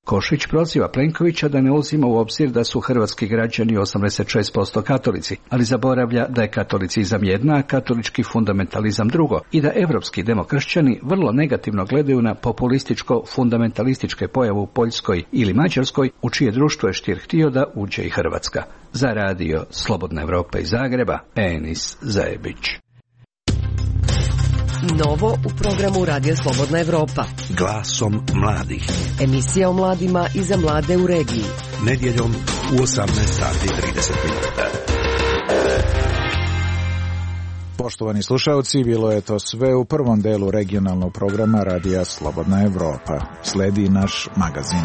Speaker 20: Košić proziva Plenkovića da ne uzima u obzir da su hrvatski građani osamdeset šest posto katolici, ali zaboravlja da je katolicizam jedna, a katolički fundamentalizam drugo, i da evropski demokršćani vrlo negativno gledaju na populističko-fundamentalističke pojave u Poljskoj ili Mađarskoj, u čije društvo je Štir htio da uđe i Hrvatska. Za radio Slobodna Evropa iz Zagreba, Enis Zajebić.
Speaker 7: Novo u programu Radija Slobodna Evropa.
Speaker 8: Glasom mladih.
Speaker 7: Emisija o mladima i za mlade u regiji.
Speaker 8: Nedjeljom u osamnaest sati i trideset minuta.
Speaker 1: Poštovani slušalci, bilo je to sve u prvom delu regionalnog programa Radija Slobodna Evropa. Sledi naš magazin.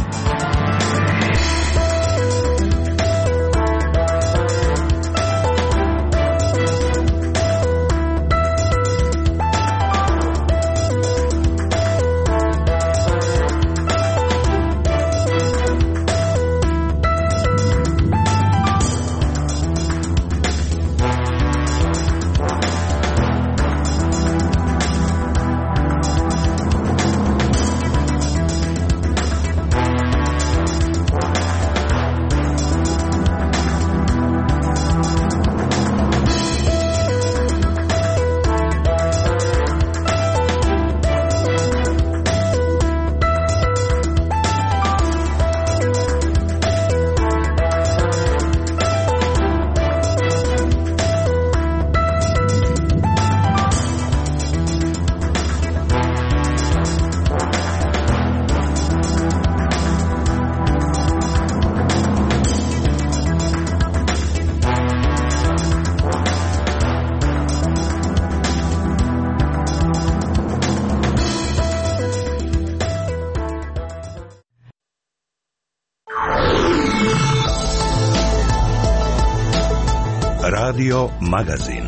Speaker 8: Radio Magazin.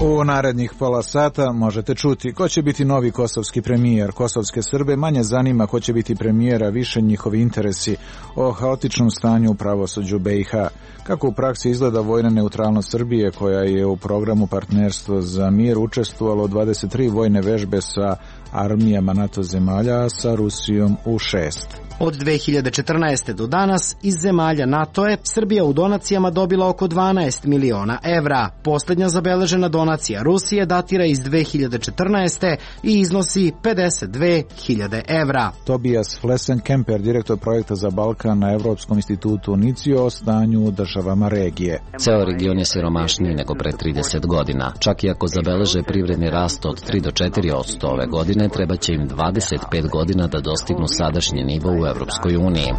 Speaker 1: U narednih pola sata možete čuti ko će biti novi kosovski premijer. Kosovske Srbe manje zanima ko će biti premijera, više njihovi interesi, o haotičnom stanju u pravosuđu B i H. Kako u praksi izgleda vojna neutralnost Srbije, koja je u programu Partnerstvo za mir učestvovalo dvadeset tri vojne vežbe sa armijama NATO zemalja, a sa Rusijom u šest.
Speaker 19: Od dve hiljade četrnaeste. do danas iz zemalja NATO je Srbija u donacijama dobila oko dvanaest miliona evra. Posljednja zabeležena donacija Rusije datira iz dve hiljade četrnaeste. i iznosi pedeset dve hiljade evra.
Speaker 1: Tobias Flessenkemper, direktor projekta za Balkan na Evropskom institutu UNICIO, o stanju u državama regije.
Speaker 2: Ceo region je siromašniji nego pre trideset godina. Čak i ako zabeleže privredni rast od tri do četiri posto ove godine, treba će im dvadeset pet godina da dostignu sadašnji nivo u Evropskoj uniji.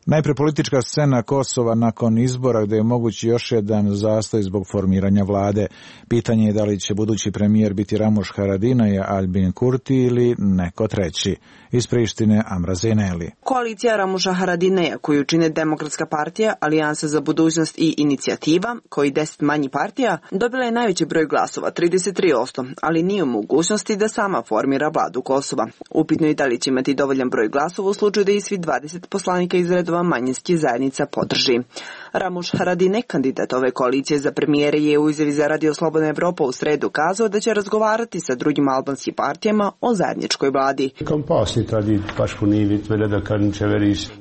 Speaker 1: Najpre politička scena Kosova nakon izbora, gde je mogući još jedan zastoj zbog formiranja vlade. Pitanje je da li će budući premijer biti Ramuš Haradinaj, Albin Kurti ili neko treći. Iz Prištine, Amra Zeneli.
Speaker 22: Koalicija Ramuša Haradinaja, koju čine Demokratska partija, Alijansa za budućnost i Inicijativa, koji deset manji partija, dobila je najveći broj glasova, trideset tri posto, ali nije u mogućnosti da sama formira vladu Kosova. Upitno je da li će imati dovoljan broj glasova u slučaju da i svi dvadeset poslanika iz redova manjinskih zajednica podrži. Ramuš Haradinaj, kandidat ove koalicije za premijere, je u izjavi za Radio Slobodna Evropa u sredu kazao da će razgovarati sa drugim albanskim partijama o zajedničkoj vladi.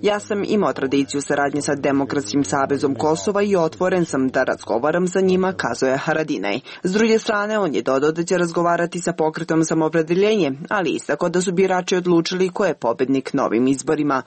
Speaker 22: Ja sam imao tradiciju saradnje sa Demokratskim savezom Kosova i otvoren sam da razgovaram sa njima, kazao je Haradinaj. S druge strane, on je dodao da će razgovarati sa pokretom Samoopredeljenje, ali istakao da su birači odlučili ko je pobednik novim izborima.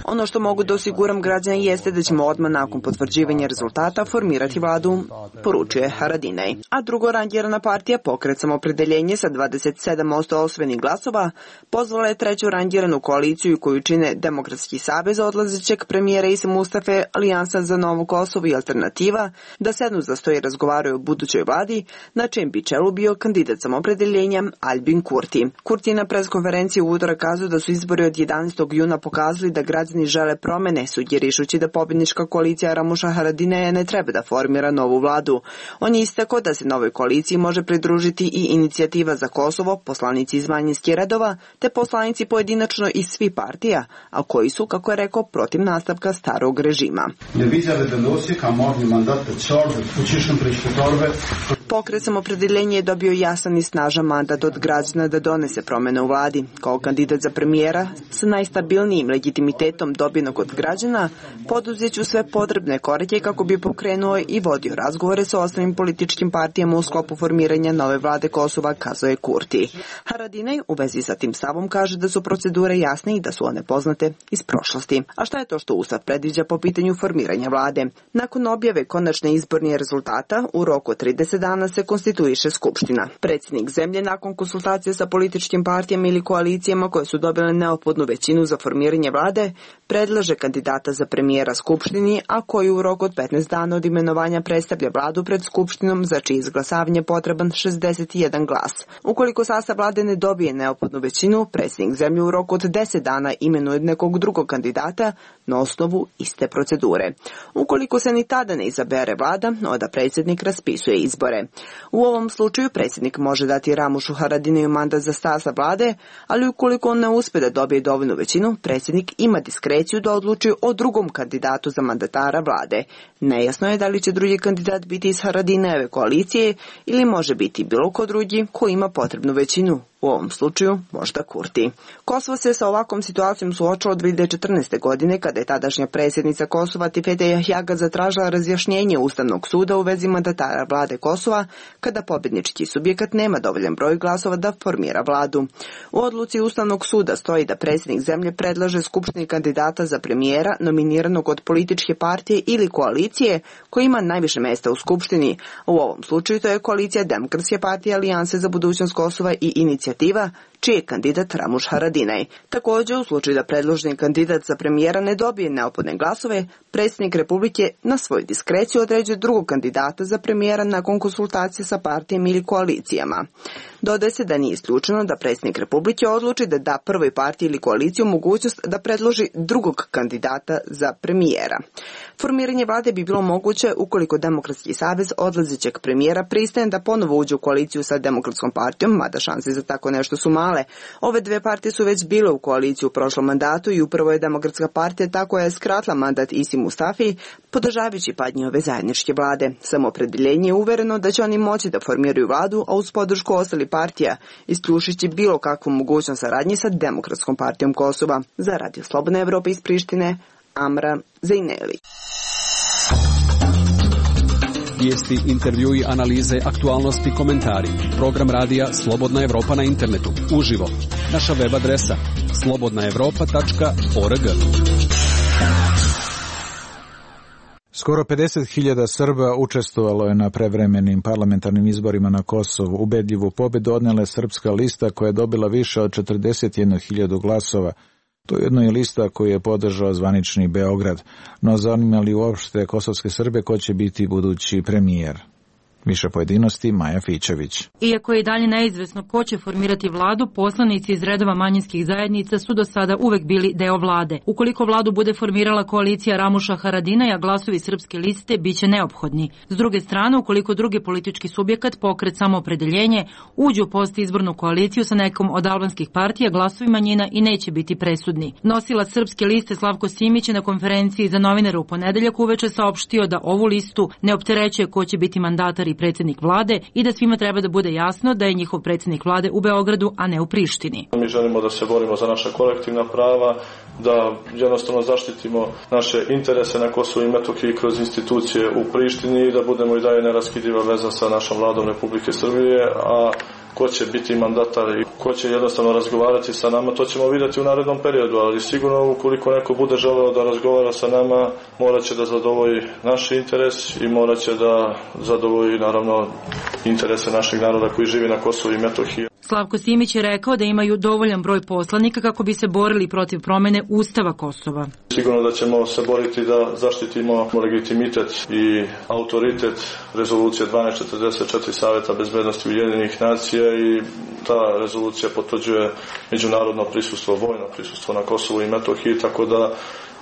Speaker 22: Ono što mogu da osiguram građana jeste da ćemo odmah nakon potvrđivanja rezultata formirati vladu, poručuje Haradinaj. A drugo rangirana partija, pokret Samoopredeljenje sa dvadeset sedam posto osvojenih glasova, pozvala je treću rangiranu koaliciju koju čine Demokratski savez odlazećeg premijera Isa Mustafe, Alijansa za Novo Kosovo i Alternativa, da sednu za sto i razgovaraju o budućoj vladi, na čijem bi čelu bio kandidat Samoopredeljenja Albin Kurti. Kurti je na preskonferenciji u utorak kazao da su izbori od jedanaestog juna pokazali da građani žele promene, sugerišući da pobjednička koalicija Ramuša Haradinaja ne treba da formira novu vladu. On je istakao da se novoj koaliciji može pridružiti i Inicijativa za Kosovo, poslanici iz manjinskih redova, te poslanici pojedinačno iz svih partija, a koji su, kako je rekao, protiv nastavka starog režima. Pokret Samoopredeljenje je dobio jasan i snažan mandat od građana da donese promene u vladi. Kao kandidat za premijera sa najstabilnijim legitimitetom dobijenog od građana, poduzeću sve potrebne korake kako bi pokrenuo i vodio razgovore sa ostalim političkim partijama u sklopu formiranja nove vlade Kosova, kazao je Kurti. Haradinaj u vezi sa tim stavom kaže da su procedure jasne i da su one poznate iz prošlosti. A šta je to što Ustav predviđa po pitanju formiranja vlade? Nakon objave konačne izbornih rezultata, u roku od trideset dana se konstituiše Skupština. Predsjednik zemlje nakon konsultacije sa političkim partijama ili koalicijama koje su dobile neophodnu većinu za formiranje vlade, predlaže kandidata za premijera Skupštini, a koji u roku od petnaest dana od imenovanja predstavlja vladu pred Skupštinom, za čije izglasavanje potreban šezdeset jedan glas. Ukoliko sastav vlade ne dobije neophodnu većinu, predsjednik zemlje u roku od deset dana imenuje nekog drugog kandidata na osnovu iste procedure. Ukoliko se ni tada ne izabere vlada, onda predsjednik raspisuje izbore. U ovom slučaju predsjednik može dati Ramušu Haradinaju mandat za sastav vlade, ali ukoliko on ne uspe da dobije dovoljnu većinu, predsjednik ima diskreciju da odluči o drugom kandidatu za mandatara vlade. Nejasno je da li će drugi kandidat biti iz Haradinajeve koalicije ili može biti bilo ko drugi ko ima potrebnu većinu. U ovom slučaju možda Kurti. Kosovo se sa ovakvom situacijom suočilo dve hiljade četrnaeste. godine kada je tadašnja predsjednica Kosova Tifete Jahjaga zatražila razjašnjenje Ustavnog suda u vezi mandatara vlade Kosova kada pobjednički subjekat nema dovoljan broj glasova da formira vladu. U odluci Ustavnog suda stoji da predsjednik zemlje predlaže Skupštini kandidata za premijera nominiranog od političke partije ili koalicije koji ima najviše mjesta u Skupštini. U ovom slučaju to je koalicija Demokratske partije, Alijanse za budućnost Kosova i Inicijativa, čiji je kandidat Ramuš Haradinaj. Također, u slučaju da predloženi kandidat za premijera ne dobije neophodne glasove, predsjednik Republike na svoju diskreciju određuje drugog kandidata za premijera nakon konsultacije sa partijama ili koalicijama. Dodaje se da nije isključeno da predsjednik Republike odluči da da prvoj partiji ili koaliciju mogućnost da predloži drugog kandidata za premijera. Formiranje vlade bi bilo moguće ukoliko Demokratski savez odlazećeg premijera pristane da ponovo uđe u koaliciju sa Demokratskom partijom, mada šanse za tako nešto su male. Ove dve partije su već bile u koaliciju u prošlom mandatu i upravo je Demokratska partija ta koja je skratila mandat Isi Mustafi, podržavajući pad njihove zajedničke vlade. Samoopredeljenje je uvereno da će oni moći da formiraju vladu, a uz podršku ostali partija, isključujući bilo kakvu mogućnost saradnje sa Demokratskom partijom Kosova. Za Radio Slobodna Evropa iz Prištine, Amra Zejneli.
Speaker 10: Vijesti, intervjui, analize, aktualnosti, komentari. Program radija Slobodna Evropa na internetu. Uživo. Naša web adresa slobodna evropa tačka org.
Speaker 1: Skoro pedeset hiljada Srba učestvovalo je na prevremenim parlamentarnim izborima na Kosovu. Ubedljivu pobedu odnela je Srpska lista koja je dobila više od četrdeset jednu hiljadu glasova. To je jedno je lista koju je podržao zvanični Beograd. No zanima li uopšte kosovske Srbe ko će biti budući premijer? Više pojedinosti, Maja Fićević.
Speaker 11: Iako je i dalje neizvesno ko će formirati vladu, poslanici iz redova manjinskih zajednica su do sada uvek bili deo vlade. Ukoliko vladu bude formirala koalicija Ramuša Haradinaja, glasovi Srpske liste biće neophodni. S druge strane, ukoliko drugi politički subjekat, pokret Samoopredeljenje, uđu u postizbornu koaliciju sa nekom od albanskih partija, glasovi manjina i neće biti presudni. Nosilac Srpske liste Slavko Simić je na konferenciji za novinare u ponedeljak uveče saopštio da ovu listu ne opterećuje ko će biti mandatar i predsjednik vlade i da svima treba da bude jasno da je njihov predsjednik vlade u Beogradu, a ne u Prištini.
Speaker 23: Mi želimo da se borimo za naša kolektivna prava, da jednostavno zaštitimo naše interese na Kosovu i Metohiji kroz institucije u Prištini i da budemo i dalje neraskidiva veza sa našom vladom Republike Srbije, a ko će biti mandatar i ko će jednostavno razgovarati sa nama, to ćemo vidjeti u narednom periodu, ali sigurno ukoliko neko bude želeo da razgovara sa nama, morat će da zadovolji naš interes i morat će da zadovolji naravno interese našeg naroda koji živi na Kosovu i Metohiji.
Speaker 11: Slavko Simić je rekao da imaju dovoljan broj poslanika kako bi se borili protiv promene Ustava Kosova.
Speaker 23: Sigurno da ćemo se boriti da zaštitimo legitimitet i autoritet rezolucije dvanaest četrdeset četiri Saveta bezbednosti Ujedinjenih nacija i ta rezolucija potvrđuje međunarodno prisustvo, vojno prisustvo na Kosovu i Metohiji, tako da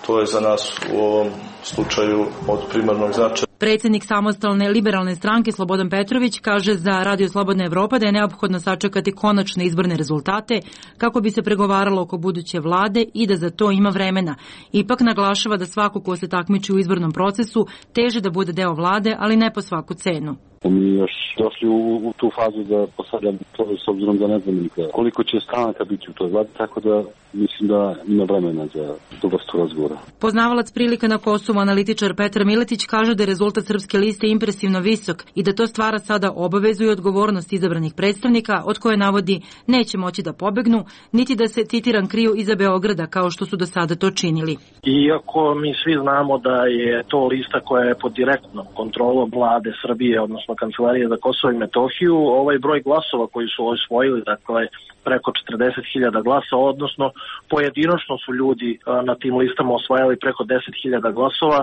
Speaker 23: to je za nas u ovom slučaju od primarnog značaja.
Speaker 11: Predsjednik samostalne liberalne stranke Slobodan Petrović kaže za Radio Slobodna Evropa da je neophodno sačekati konačne izborne rezultate kako bi se pregovaralo oko buduće vlade i da za to ima vremena. Ipak naglašava da svako ko se takmiči u izbornom procesu teže da bude deo vlade, ali ne po svaku cenu.
Speaker 24: Mi još došli u, u tu fazu da postavljam to s obzirom da ne znam nikada koliko će stranaka biti u toj vladi, tako da mislim da ima vremena za tu vrstu razgovora.
Speaker 11: Poznavalac prilika na Kosovu, analitičar Petar Miletić, kaže da je rezultat Srpske liste impresivno visok i da to stvara sada obavezu i odgovornost izabranih predstavnika od koje navodi neće moći da pobegnu, niti da se, citiram, kriju iza Beograda kao što su do sada to činili.
Speaker 25: Iako mi svi znamo da je to lista koja je pod direktnom kontrolom vlade Srbije, odnosno Kancelarije za Kosovo i Metohiju, ovaj broj glasova koji su osvojili, dakle preko četrdeset hiljada glasa, odnosno pojedinačno su ljudi na tim listama osvajali preko deset hiljada glasova,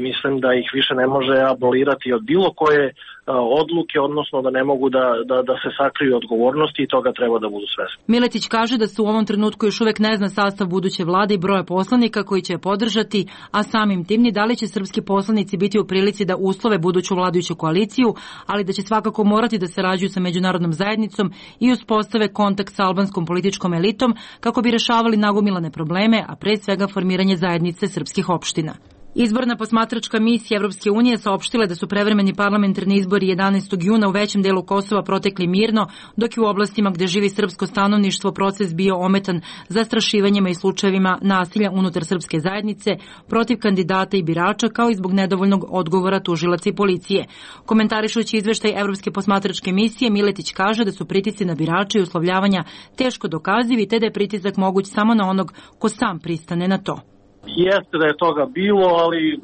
Speaker 25: mislim da ih više ne može abolirati od bilo koje odluke, odnosno da ne mogu da, da, da se sakriju odgovornosti i toga treba da budu svesni.
Speaker 11: Miletić kaže da se u ovom trenutku još uvek ne zna sastav buduće vlade i broja poslanika koji će je podržati, a samim tim ni da li će srpski poslanici biti u prilici da uslove buduću vladajuću koaliciju, ali da će svakako morati da sarađuju sa međunarodnom zajednicom i uspostave kontakt sa albanskom političkom elitom kako bi rešavali nagomilane probleme, a pre svega formiranje zajednice srpskih opština. Izborna posmatračka misija Evropske unije saopštila da su prevremeni parlamentarni izbori jedanaestog juna u većem delu Kosova protekli mirno, dok je u oblastima gde živi srpsko stanovništvo proces bio ometan zastrašivanjima i slučajevima nasilja unutar srpske zajednice protiv kandidata i birača, kao i zbog nedovoljnog odgovora tužilaca i policije. Komentarišući izveštaj Evropske posmatračke misije, Miletić kaže da su pritisci na birače i uslovljavanja teško dokazivi, te da je pritisak moguć samo na onog ko sam pristane na to.
Speaker 25: Jeste da je toga bilo, ali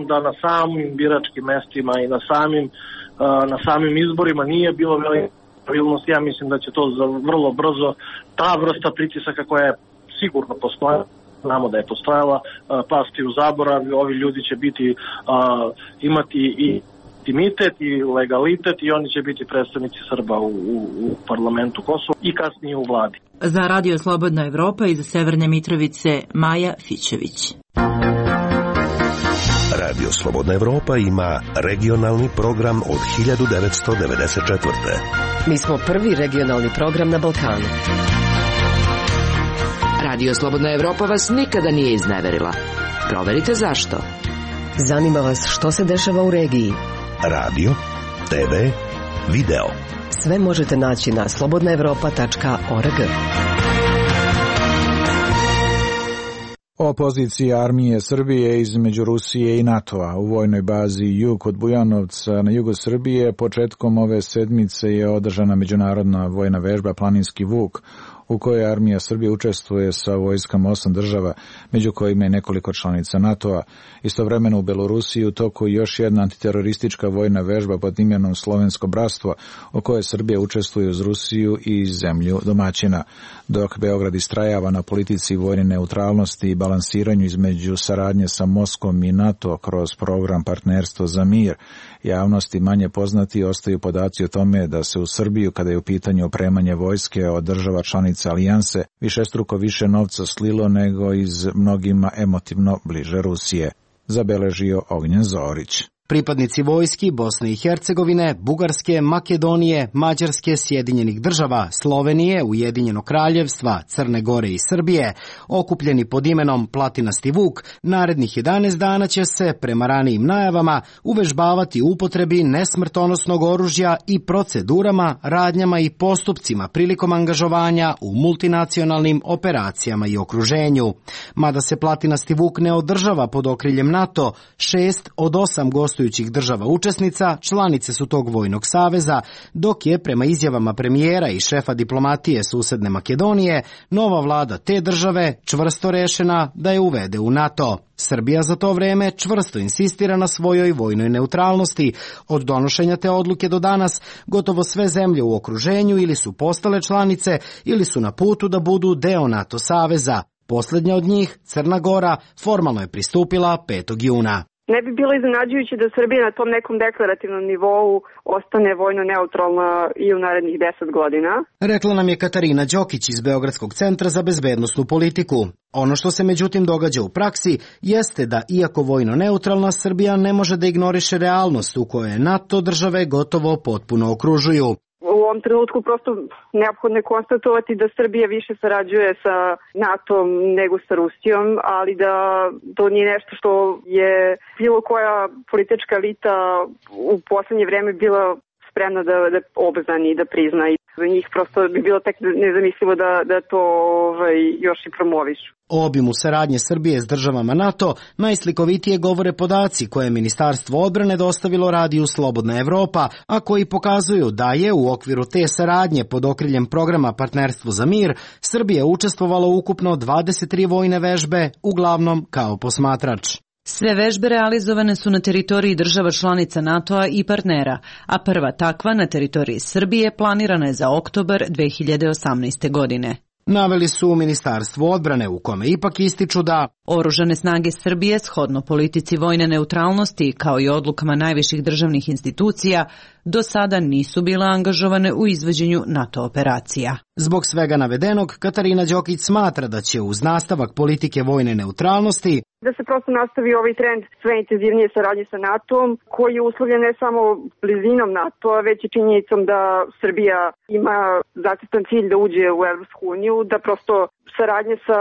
Speaker 25: da na samim biračkim mestima i na samim, na samim izborima nije bilo veliko pravilnost. Ja mislim da će to za vrlo brzo, ta vrsta pritisaka koja je sigurno postojala, znamo da je postojala, pasti u zaborav. Ovi ljudi će biti, imati i intimitet i legalitet i oni će biti predstavnici Srba u, u, u parlamentu Kosova i kasnije u vladi.
Speaker 11: Za Radio Slobodna Evropa iz Severne Mitrovice Maja Fićević.
Speaker 8: Radio Slobodna Evropa ima regionalni program od hiljadu devetsto devedeset četvrte.
Speaker 7: Mi smo prvi regionalni program na Balkanu.
Speaker 12: Radio Slobodna Evropa vas nikada nije izneverila. Proverite zašto.
Speaker 7: Zanima vas što se dešava u regiji.
Speaker 8: Radio, te ve, video.
Speaker 7: Sve možete naći na slobodna evropa tačka org.
Speaker 1: O poziciji armije Srbije između Rusije i NATO-a u vojnoj bazi Jug kod Bujanovca na jugu Srbije početkom ove sedmice je održana međunarodna vojna vežba Planinski Vuk, u kojoj armija Srbije učestvuje sa vojskama osam država, među kojima je nekoliko članica NATO-a. Istovremeno u Belorusiji u toku još jedna antiteroristička vojna vežba pod imenom Slovensko bratstvo, u kojoj Srbija učestvuje uz Rusiju i zemlju domaćina. Dok Beograd istrajava na politici vojne neutralnosti i balansiranju između saradnje sa Moskvom i NATO kroz program Partnerstvo za mir, javnosti manje poznati ostaju podaci o tome da se u Srbiju, kada je u pitanju opremanje vojske od država članica alijanse, višestruko više novca slilo nego iz mnogima emotivno bliže Rusije, zabeležio Ognjen Zorić.
Speaker 19: Pripadnici vojski Bosne i Hercegovine, Bugarske, Makedonije, Mađarske, Sjedinjenih država, Slovenije, Ujedinjenog kraljevstva, Crne Gore i Srbije, okupljeni pod imenom Platinasti Vuk, narednih jedanaest dana će se, prema ranijim najavama, uvežbavati upotrebi nesmrtonosnog oružja i procedurama, radnjama i postupcima prilikom angažovanja u multinacionalnim operacijama i okruženju. Mada se Platinasti Vuk ne održava pod okriljem NATO, šest od osam gostujućih država učesnica članice su tog vojnog saveza, dok je prema izjavama premijera i šefa diplomatije susedne Makedonije nova vlada te države čvrsto rešena da je uvede u NATO. Srbija za to vreme čvrsto insistira na svojoj vojnoj neutralnosti. Od donošenja te odluke do danas gotovo sve zemlje u okruženju ili su postale članice ili su na putu da budu deo NATO saveza. Poslednja od njih, Crna Gora, formalno je pristupila petog juna.
Speaker 3: Ne bi bilo iznenađujuće da Srbija na tom nekom deklarativnom nivou ostane vojno neutralna i u narednih deset godina.
Speaker 19: Rekla nam je Katarina Đokić iz Beogradskog centra za bezbednosnu politiku. Ono što se međutim događa u praksi jeste da, iako vojno neutralna, Srbija ne može da ignoriše realnost u kojoj NATO države gotovo potpuno okružuju.
Speaker 3: U ovom trenutku prosto neophodno je konstatovati da Srbija više sarađuje sa NATO-om nego sa Rusijom, ali da to nije nešto što je bilo koja politička elita u poslednje vreme bila spremna da, da obznani i da prizna. I za njih prosto bi bilo tek nezamislivo da, da to ovaj, još i promovišu.
Speaker 19: O obimu saradnje Srbije s državama NATO najslikovitije govore podaci koje je Ministarstvo odbrane dostavilo Radiju Slobodna Evropa, a koji pokazuju da je u okviru te saradnje pod okriljem programa Partnerstvo za mir Srbija učestvovala ukupno dvadeset tri vojne vežbe, uglavnom kao posmatrač.
Speaker 9: Sve vežbe realizovane su na teritoriji država članica NATO-a i partnera, a prva takva na teritoriji Srbije planirana je za oktobar dve hiljade osamnaeste. godine.
Speaker 19: Naveli su u Ministarstvu odbrane, u kome ipak ističu da
Speaker 9: Oružane snage Srbije, shodno politici vojne neutralnosti kao i odlukama najviših državnih institucija, do sada nisu bile angažovane u izvođenju NATO operacija.
Speaker 19: Zbog svega navedenog, Katarina Đokić smatra da će uz nastavak politike vojne neutralnosti
Speaker 3: da se prosto nastavi ovaj trend sve intenzivnije saradnje sa NATO-om, koji je uslovljen ne samo blizinom NATO-a, već i činjenicom da Srbija ima zacrtan cilj da uđe u Evropsku uniju, da prosto saradnje sa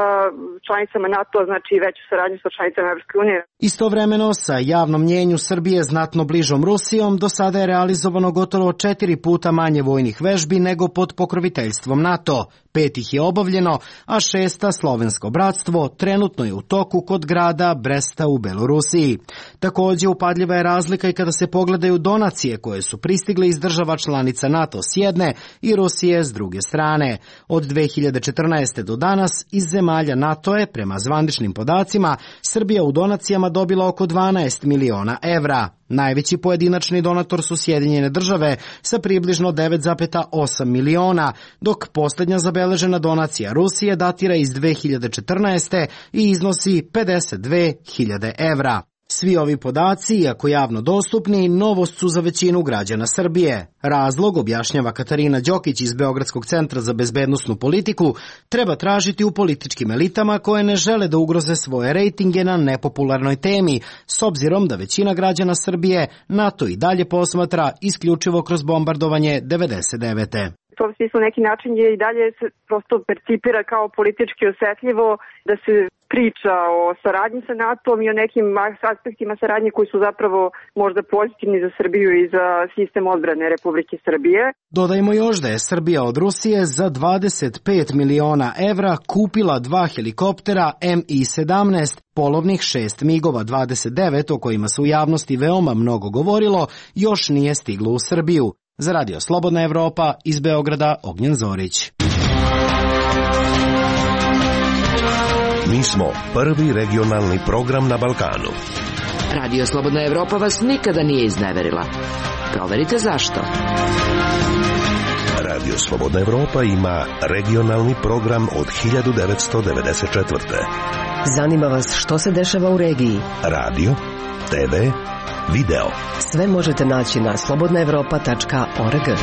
Speaker 3: članicama NATO-a znači i veću saradnju sa članicama Evropske unije.
Speaker 19: Istovremeno, sa javnom mnjenju Srbije znatno bližom Rusijom, do sada je realizovano gotovo četiri puta manje vojnih vežbi nego pod pokroviteljstvom NATO. Pet ih je obavljeno, a šesta, Slovensko bratstvo, trenutno je u toku kod grada Bresta u Belorusiji. Takođe, upadljiva je razlika i kada se pogledaju donacije koje su pristigle iz država članica NATO s jedne i Rusije s druge strane. Od dve hiljade četrnaeste. do danas iz zemalja NATO je, prema zvaničnim podacima, Srbija u donacijama dobila oko dvanaest miliona evra. Najveći pojedinačni donator su Sjedinjene države sa približno devet zarez osam miliona, dok posljednja zabeležena donacija Rusije datira iz dve hiljade četrnaeste. i iznosi pedeset dve hiljade evra. Svi ovi podaci, iako javno dostupni, novost su za većinu građana Srbije. Razlog, objašnjava Katarina Đokić iz Beogradskog centra za bezbednosnu politiku, treba tražiti u političkim elitama koje ne žele da ugroze svoje rejtinge na nepopularnoj temi, s obzirom da većina građana Srbije NATO i dalje posmatra isključivo kroz bombardovanje devedeset devete.
Speaker 3: To u smislu neki način je i dalje se prosto percipira kao politički osetljivo da se priča o saradnji sa NATO-om i o nekim aspektima saradnje koji su zapravo možda pozitivni za Srbiju i za sistem odbrane Republike Srbije.
Speaker 19: Dodajmo još da je Srbija od Rusije za dvadeset pet miliona evra kupila dva helikoptera M I sedamnaest, polovnih šest migova dvadeset devet o kojima se u javnosti veoma mnogo govorilo, još nije stiglo u Srbiju. Za Radio Slobodna Evropa iz Beograda, Ognjen Zorić.
Speaker 8: Mi smo prvi regionalni program na Balkanu.
Speaker 12: Radio Slobodna Evropa vas nikada nije izneverila. Proverite zašto.
Speaker 8: Radio Slobodna Evropa ima regionalni program od hiljadu devetsto devedeset četvrte.
Speaker 7: Zanima vas što se dešava u regiji?
Speaker 8: Radio, te ve, video.
Speaker 7: Sve možete naći na slobodna evropa tačka org.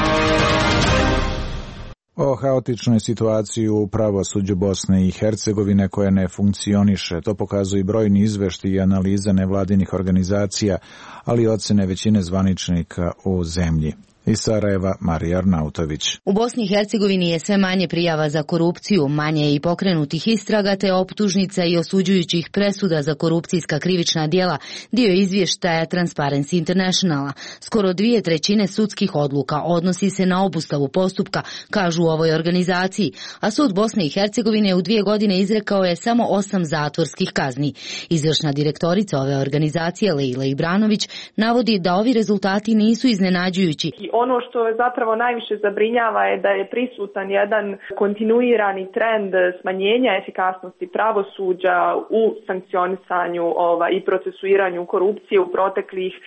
Speaker 1: O haotičnoj situaciji u pravosuđu Bosne i Hercegovine koja ne funkcioniše, to pokazuju brojni izveštaji i analize nevladinih organizacija, ali i ocene većine zvaničnika u zemlji. Iz Sarajeva, Marija Arnautović.
Speaker 4: U Bosni i Hercegovini je sve manje prijava za korupciju, manje je i pokrenutih istraga te optužnica i osuđujućih presuda za korupcijska krivična djela, dio izvještaja Transparency Internationala. Skoro dvije trećine sudskih odluka odnosi se na obustavu postupka, kažu u ovoj organizaciji, a sud Bosne i Hercegovine u dvije godine izrekao je samo osam zatvorskih kazni. Izvršna direktorica ove organizacije, Leila Ibranović, navodi da ovi rezultati nisu iznenađujući.
Speaker 13: Ono što zapravo najviše zabrinjava je da je prisutan jedan kontinuirani trend smanjenja efikasnosti pravosuđa u sankcionisanju ova, i procesuiranju korupcije u proteklih e,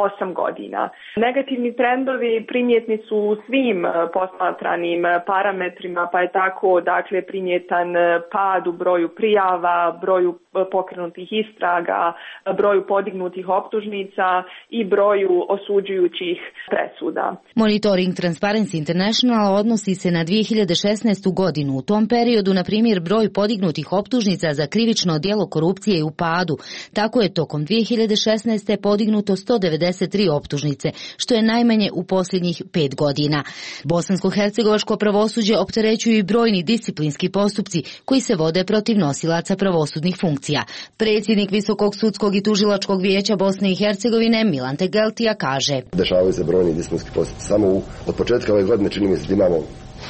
Speaker 13: osam godina. Negativni trendovi primjetni su u svim posmatranim parametrima, pa je tako dakle primjetan pad u broju prijava, broju pokrenutih istraga, broju podignutih optužnica i broju osuđujućih presuda.
Speaker 4: Monitoring Transparency International odnosi se na dvije hiljade šesnaestu. godinu. U tom periodu, na primjer, broj podignutih optužnica za krivično djelo korupcije je u padu. Tako je tokom dvije hiljade šesnaeste. podignuto sto devedeset tri optužnice, što je najmanje u posljednjih pet godina. Bosansko-hercegovačko pravosuđe opterećuju i brojni disciplinski postupci koji se vode protiv nosilaca pravosudnih funkcija. Predsjednik Visokog sudskog i tužilačkog vijeća Bosne i Hercegovine Milan Tegeltija kaže:
Speaker 14: Dešavaju se brojni disciplinski postupci. Samo u, od početka ove godine čini mi se da imamo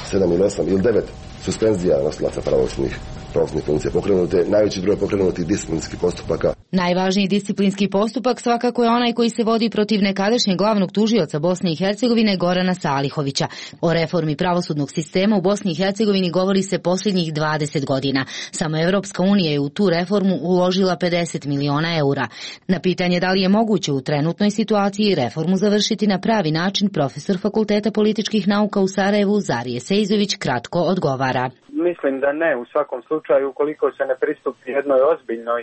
Speaker 14: sedam ili osam ili devet suspenzija nosilaca pravosudnih pravosudnih funkcija pokrenute, najveći broj pokrenutih disciplinskih postupaka.
Speaker 4: Najvažniji disciplinski postupak svakako je onaj koji se vodi protiv nekadašnjeg glavnog tužioca Bosne i Hercegovine Gorana Salihovića. O reformi pravosudnog sistema u Bosni i Hercegovini govori se posljednjih dvadeset godina. Samo Evropska unija je u tu reformu uložila pedeset miliona eura. Na pitanje da li je moguće u trenutnoj situaciji reformu završiti na pravi način, profesor Fakulteta političkih nauka u Sarajevu Zarije Sejzović kratko odgovara.
Speaker 15: Mislim da ne, u svakom slučaju ukoliko se ne pristupi jednoj ozbiljnoj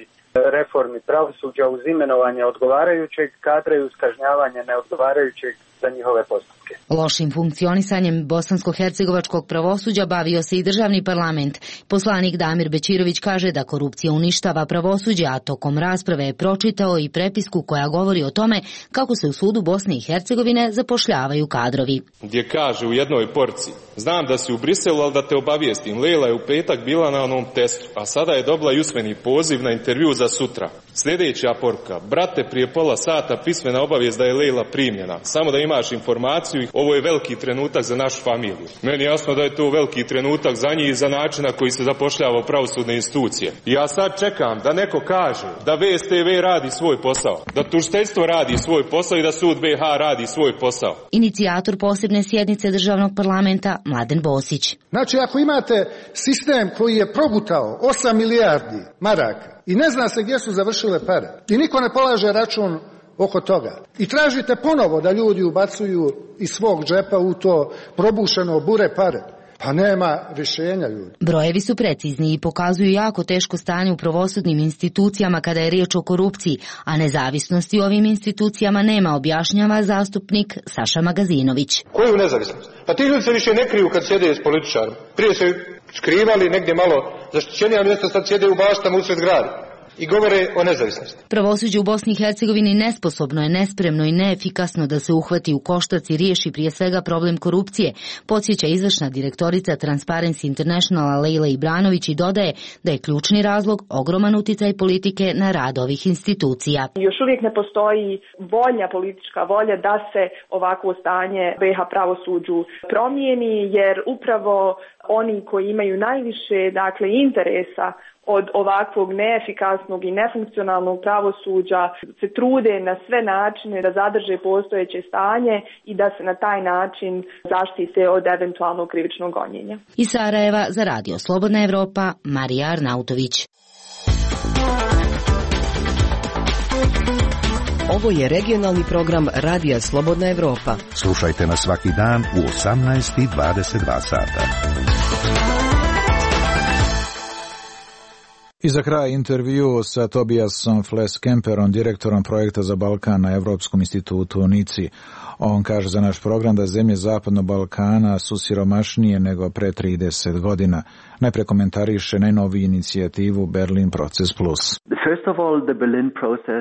Speaker 15: reformi pravosuđa uz imenovanje odgovarajućeg kadra i uz kažnjavanje neodgovarajućeg za njihove postupke.
Speaker 4: Lošim funkcionisanjem bosansko-hercegovačkog pravosuđa bavio se i državni parlament. Poslanik Damir Bećirović kaže da korupcija uništava pravosuđe, a tokom rasprave je pročitao i prepisku koja govori o tome kako se u sudu Bosne i Hercegovine zapošljavaju kadrovi.
Speaker 16: Gdje kaže u jednoj porci: znam da si u Briselu, ali da te obavijestim, Leila je u petak bila na onom testu, a sada je dobila i usmeni poziv na intervju za sutra. Sljedeća poruka: brate, prije pola sata pismena obavijest da je Leila primljena. Samo da imaš informaciju, ovo je veliki trenutak za našu familiju. Meni je jasno da je to veliki trenutak za njih i za način na koji se zapošljava pravosudne institucije. I ja sad čekam da neko kaže da V S T V radi svoj posao, da tužiteljstvo radi svoj posao i da sud B H radi svoj posao.
Speaker 4: Inicijator posebne sjednice državnog parlamenta Mladen Bosić.
Speaker 5: Znači, ako imate sistem koji je progutao osam milijardi maraka i ne zna se gdje su završile pare i niko ne polaže račun oko toga i tražite ponovo da ljudi ubacuju iz svog džepa u to probušeno bure pare, pa nema rješenja, ljudi.
Speaker 4: Brojevi su precizni i pokazuju jako teško stanje u pravosudnim institucijama kada je riječ o korupciji, a nezavisnosti u ovim institucijama nema, objašnjava zastupnik Saša Magazinović.
Speaker 6: Koju nezavisnost? Pa ti ljudi se više ne kriju kad sjede s političarom. Prije se skrivali negdje malo zaštićenija mjesta, sad sjede u baštama usred grada i govore o nezavisnosti.
Speaker 4: Pravosuđe u Bosni i Hercegovini nesposobno je, nespremno i neefikasno da se uhvati u koštac i riješi prije svega problem korupcije, podsjeća izvršna direktorica Transparency Internationala Lejla Ibranović i dodaje da je ključni razlog ogroman uticaj politike na rad ovih institucija.
Speaker 13: Još uvijek ne postoji volja, politička volja da se ovakvo stanje B iH pravosuđu promijeni, jer upravo oni koji imaju najviše, dakle, interesa od ovakvog neefikasnog i nefunkcionalnog pravosuđa se trude na sve načine da zadrže postojeće stanje i da se na taj način zaštite od eventualnog krivičnog gonjenja.
Speaker 4: Iz Sarajeva za Radio Slobodna Evropa, Marija Arnautović.
Speaker 7: Ovo je regionalni program Radija Slobodna Evropa.
Speaker 8: Slušajte nas svaki dan u osamnaest i dvadeset dva sata.
Speaker 1: I za kraj intervju sa Tobiasom Fleskemperom, direktorom projekta za Balkan na Evropskom institutu u Nici. On kaže za naš program da zemlje Zapadnog Balkana su siromašnije nego pre trideset godina. Najpre komentariše najnoviju inicijativu Berlin Proces Plus.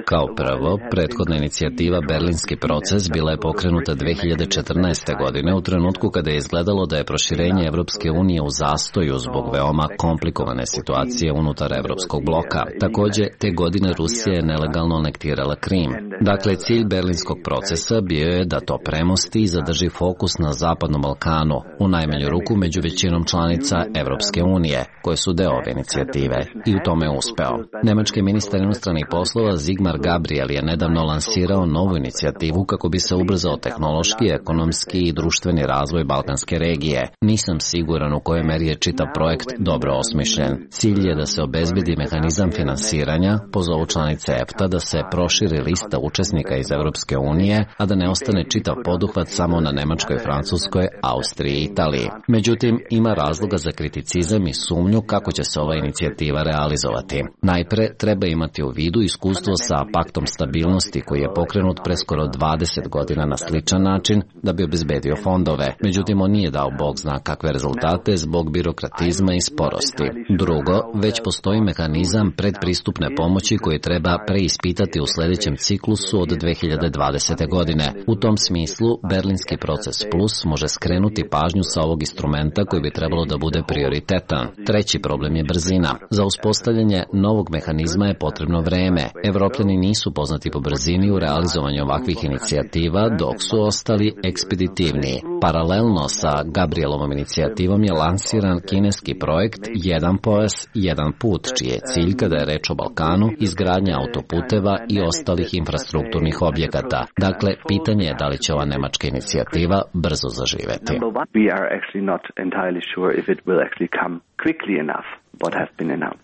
Speaker 2: Kao prvo, prethodna inicijativa Berlinski proces bila je pokrenuta dve hiljade četrnaeste. godine u trenutku kada je izgledalo da je proširenje Evropske unije u zastoju zbog veoma komplikovane situacije unutar Evropskog bloka. Također, te godine Rusija je nelegalno anektirala Krim. Dakle, cilj Berlinskog procesa bio je da to premosti i zadrži fokus na Zapadnom Balkanu, u najmanju ruku među većinom članica Evropske unije, koje su deo ove inicijative, i u tome je uspeo. Nemački ministar inostranih poslova Sigmar Gabriel je nedavno lansirao novu inicijativu kako bi se ubrzao tehnološki, ekonomski i društveni razvoj balkanske regije. Nisam siguran u kojoj meri je čitav projekt dobro osmišljen. Cilj je da se obezbedi mehanizam finansiranja, pozovu članice E F T A da se proširi lista učesnika iz Evropske unije, a da ne ostane čitav poduhvat samo na Nemačkoj, Francuskoj, Austriji i Italiji. Međutim, ima razloga za kriticizam i sumnju kako će se ova inicijativa realizovati. Najpre, treba imati u vidu iskustvo sa paktom stabilnosti koji je pokrenut pre skoro dvadeset godina na sličan način da bi obezbedio fondove. Međutim, on nije dao bog zna kakve rezultate zbog birokratizma i sporosti. Drugo, već postoji mehanizam predpristupne pomoći koji treba preispitati u sljedećem ciklusu od dve hiljade dvadesete. godine. U tom smislu, Berlinski proces Plus može skrenuti pažnju sa ovog instrumenta koji bi trebalo da bude prioritetan. Treći problem je brzina. Za uspostavljanje novog mehanizma je potrebno vreme. Evropljani nisu poznati po brzini u realizovanju ovakvih inicijativa, dok su ostali ekspeditivniji. Paralelno sa Gabrielovom inicijativom je lansiran kineski projekt Jedan pojas, jedan put, čiji je cilj, kada je reč o Balkanu, izgradnja autoputeva i ostalih infrastrukturnih objekata. Dakle, pitanje je da li će ova nemačka inicijativa brzo zaživeti.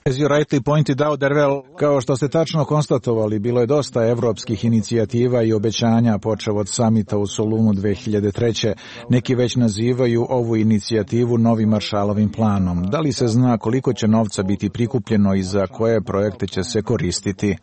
Speaker 1: As you rightly pointed out, Dervel, kao što ste tačno konstatovali, bilo je dosta evropskih inicijativa i obećanja počev od samita u Solunu dve hiljade treće. Neki već nazivaju ovu inicijativu novim Marshallovim planom. Da li se zna koliko će novca biti prikupljeno i za koje projekte će se koristiti?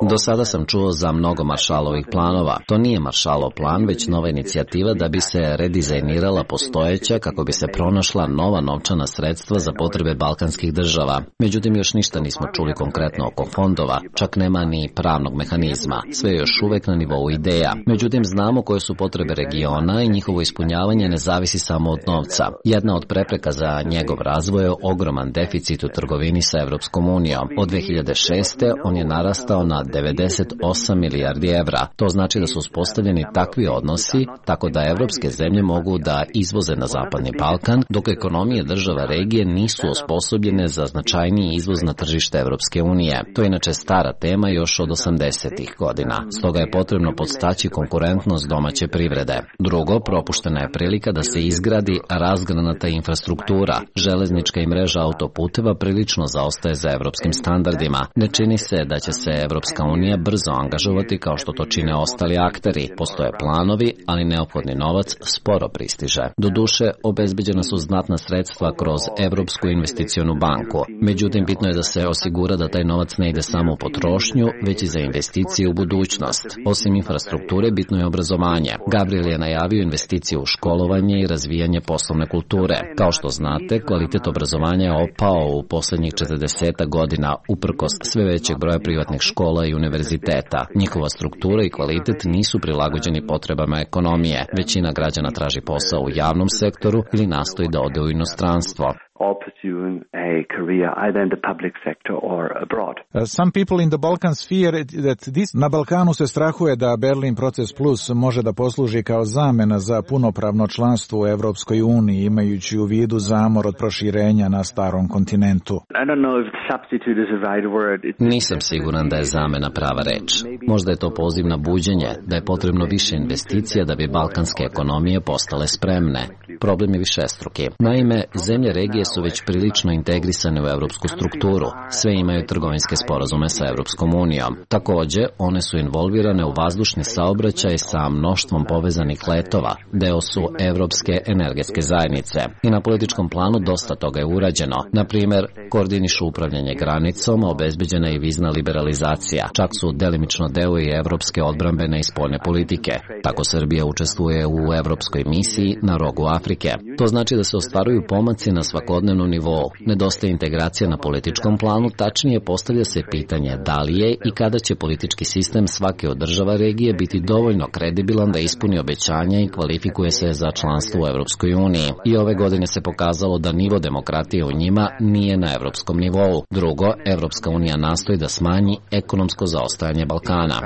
Speaker 2: Do sada sam čuo za mnogo Marshallovih planova. To nije Marshallov plan, već nova inicijativa da bi se redizajnirala postojeća kako bi se pronašla nova novčana sredstva za potrebe balkanskih država. Međutim, još ništa nismo čuli konkretno oko fondova, čak nema ni pravnog mehanizma. Sve je još uvek na nivou ideja. Međutim, znamo koje su potrebe regiona i njihovo ispunjavanje ne zavisi samo od novca. Jedna od prepreka za njegov razvoj je ogroman deficit u trgovini sa Evropskom unijom. Od dve hiljade šeste. on je narastao na devedeset osam milijardi evra. To znači da su uspostavljeni takvi odnosi, tako da evropske zemlje mogu da izvoze na Zapadni Balkan, dok ekonomije država regije nisu osposobljene za značajniji izvoz na tržište Evropske unije. To je inače stara tema još od osamdesetih godina. Stoga je potrebno podstaći konkurentnost domaće privrede. Drugo, propuštena je prilika da se izgradi razgranata infrastruktura. Železnička i mreža autoputeva prilično zaostaje za evropskim standardima. Ne čini se da će se Evropska unija brzo angažovati kao što to čine ostali akteri. Postoje planovi, ali neophodni novac sporo pristiže. Doduše, obezbeđena su znatna sredstva kroz Evropsku investicionu banku. Međutim, bitno je da se osigura da taj novac ne ide samo u potrošnju, već i za investicije u budućnost. Osim infrastrukture, bitno je obrazovanje. Gabriel je najavio investicije u školovanje i razvijanje poslovne kulture. Kao što znate, kvalitet obrazovanja je opao u poslednjih četrdeset godina uprkos sve većeg broja privatnih škola i univerziteta. Njihova struktura i kvalitet nisu prilagođeni potrebama ekonomije. Većina građana traži posao u javnom sektoru ili nastoji da ode u inostranstvo.
Speaker 17: or pursuing a career either in the public sector or abroad.
Speaker 1: Uh, some people in the Balkans fear that this... Na Balkanu se strahuje da Berlin Proces Plus može da posluži kao zamena za punopravno članstvo u Evropskoj uniji, imajući u vidu zamor od proširenja na starom kontinentu.
Speaker 17: I don't know if substitute is the right word. It's...
Speaker 2: Nisam siguran da je zamena prava reč. Možda je to poziv na buđenje, da je potrebno više investicija da bi balkanske ekonomije postale spremne. Problem je višestruki. Naime, zemlje regije su već prilično integrisane u evropsku strukturu. Sve imaju trgovinske sporazume sa Evropskom unijom. Takođe, one su involvirane u vazdušni saobraćaj sa mnoštvom povezanih letova. Deo su Evropske energetske zajednice. I na političkom planu dosta toga je urađeno. Na primer, koordinišu upravljanje granicom, obezbeđena je i vizna liberalizacija. Čak su delimično deo i evropske odbrambene i spoljne politike. Tako Srbija učestvuje u evropskoj misiji na rogu Afrike. To znači da se ostvaruju pomaci na svakodnevnom nivou. Nedostaje integracija na političkom planu, tačnije postavlja se pitanje da li je i kada će politički sistem svake od država regije biti dovoljno kredibilan da ispuni obećanja i kvalifikuje se za članstvo u Evropskoj uniji. I ove godine se pokazalo da nivo demokratije u njima nije na evropskom nivou. Drugo, Evropska unija nastoji da smanji ekonomsko zaostajanje Balkana.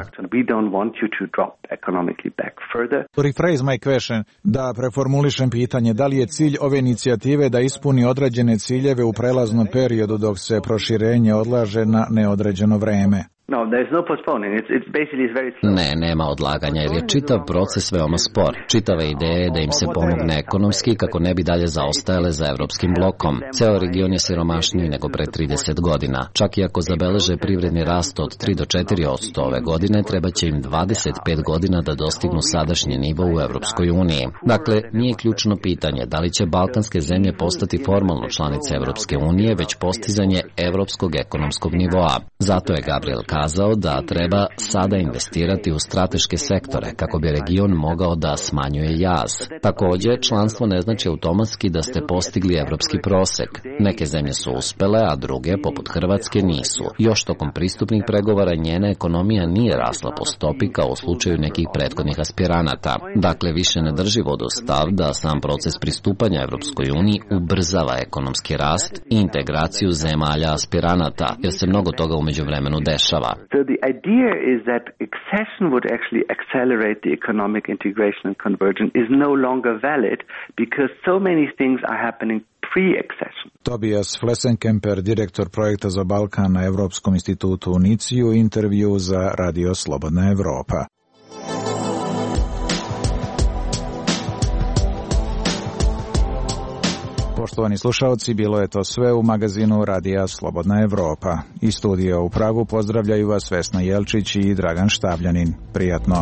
Speaker 1: To rephrase my question, da preformulišem pitanje, da li je cilj ove inicijative da ispuni određene ciljeve u prelaznom periodu dok se proširenje odlaže na neodređeno vreme?
Speaker 17: No, there's no postponing. It's, it's basically it's very slow.
Speaker 2: Ne, nema odlaganja jer je čitav proces veoma spor. Čitava ideja je da im se pomogne ekonomski kako ne bi dalje zaostajale za evropskim blokom. Ceo region je siromašniji nego pre trideset godina. Čak i ako zabeleže privredni rast od tri do četiri posto ove godine, treba će im dvadeset pet godina da dostignu sadašnji nivo u Evropskoj uniji. Dakle, nije ključno pitanje da li će balkanske zemlje postati formalno članice Evropske unije, već postizanje evropskog ekonomskog nivoa. Zato je Gabriel kazao da treba sada investirati u strateške sektore kako bi region mogao da smanjuje jaz. Takođe, članstvo ne znači automatski da ste postigli evropski prosek. Neke zemlje su uspele, a druge, poput Hrvatske, nisu. Još tokom pristupnih pregovora njena ekonomija nije rasla po stopi kao u slučaju nekih prethodnih aspiranata. Dakle, više ne drži vodu stav da sam proces pristupanja Evropskoj uniji ubrzava ekonomski rast i integraciju zemalja aspiranata, jer se mnogo toga umeđu vremenu dešava.
Speaker 17: So the idea is that accession would actually accelerate the economic integration and convergence is no longer valid because so many things are happening pre-accession.
Speaker 1: Tobias Flessenkemper, direktor projekta za Balkan na Evropskom institutu u Niciju, intervju za Radio Slobodna Evropa. Poštovani slušalci, bilo je to sve u magazinu Radija Slobodna Evropa. Iz studija u Pragu pozdravljaju vas Vesna Jelčić i Dragan Štavljanin. Prijatno.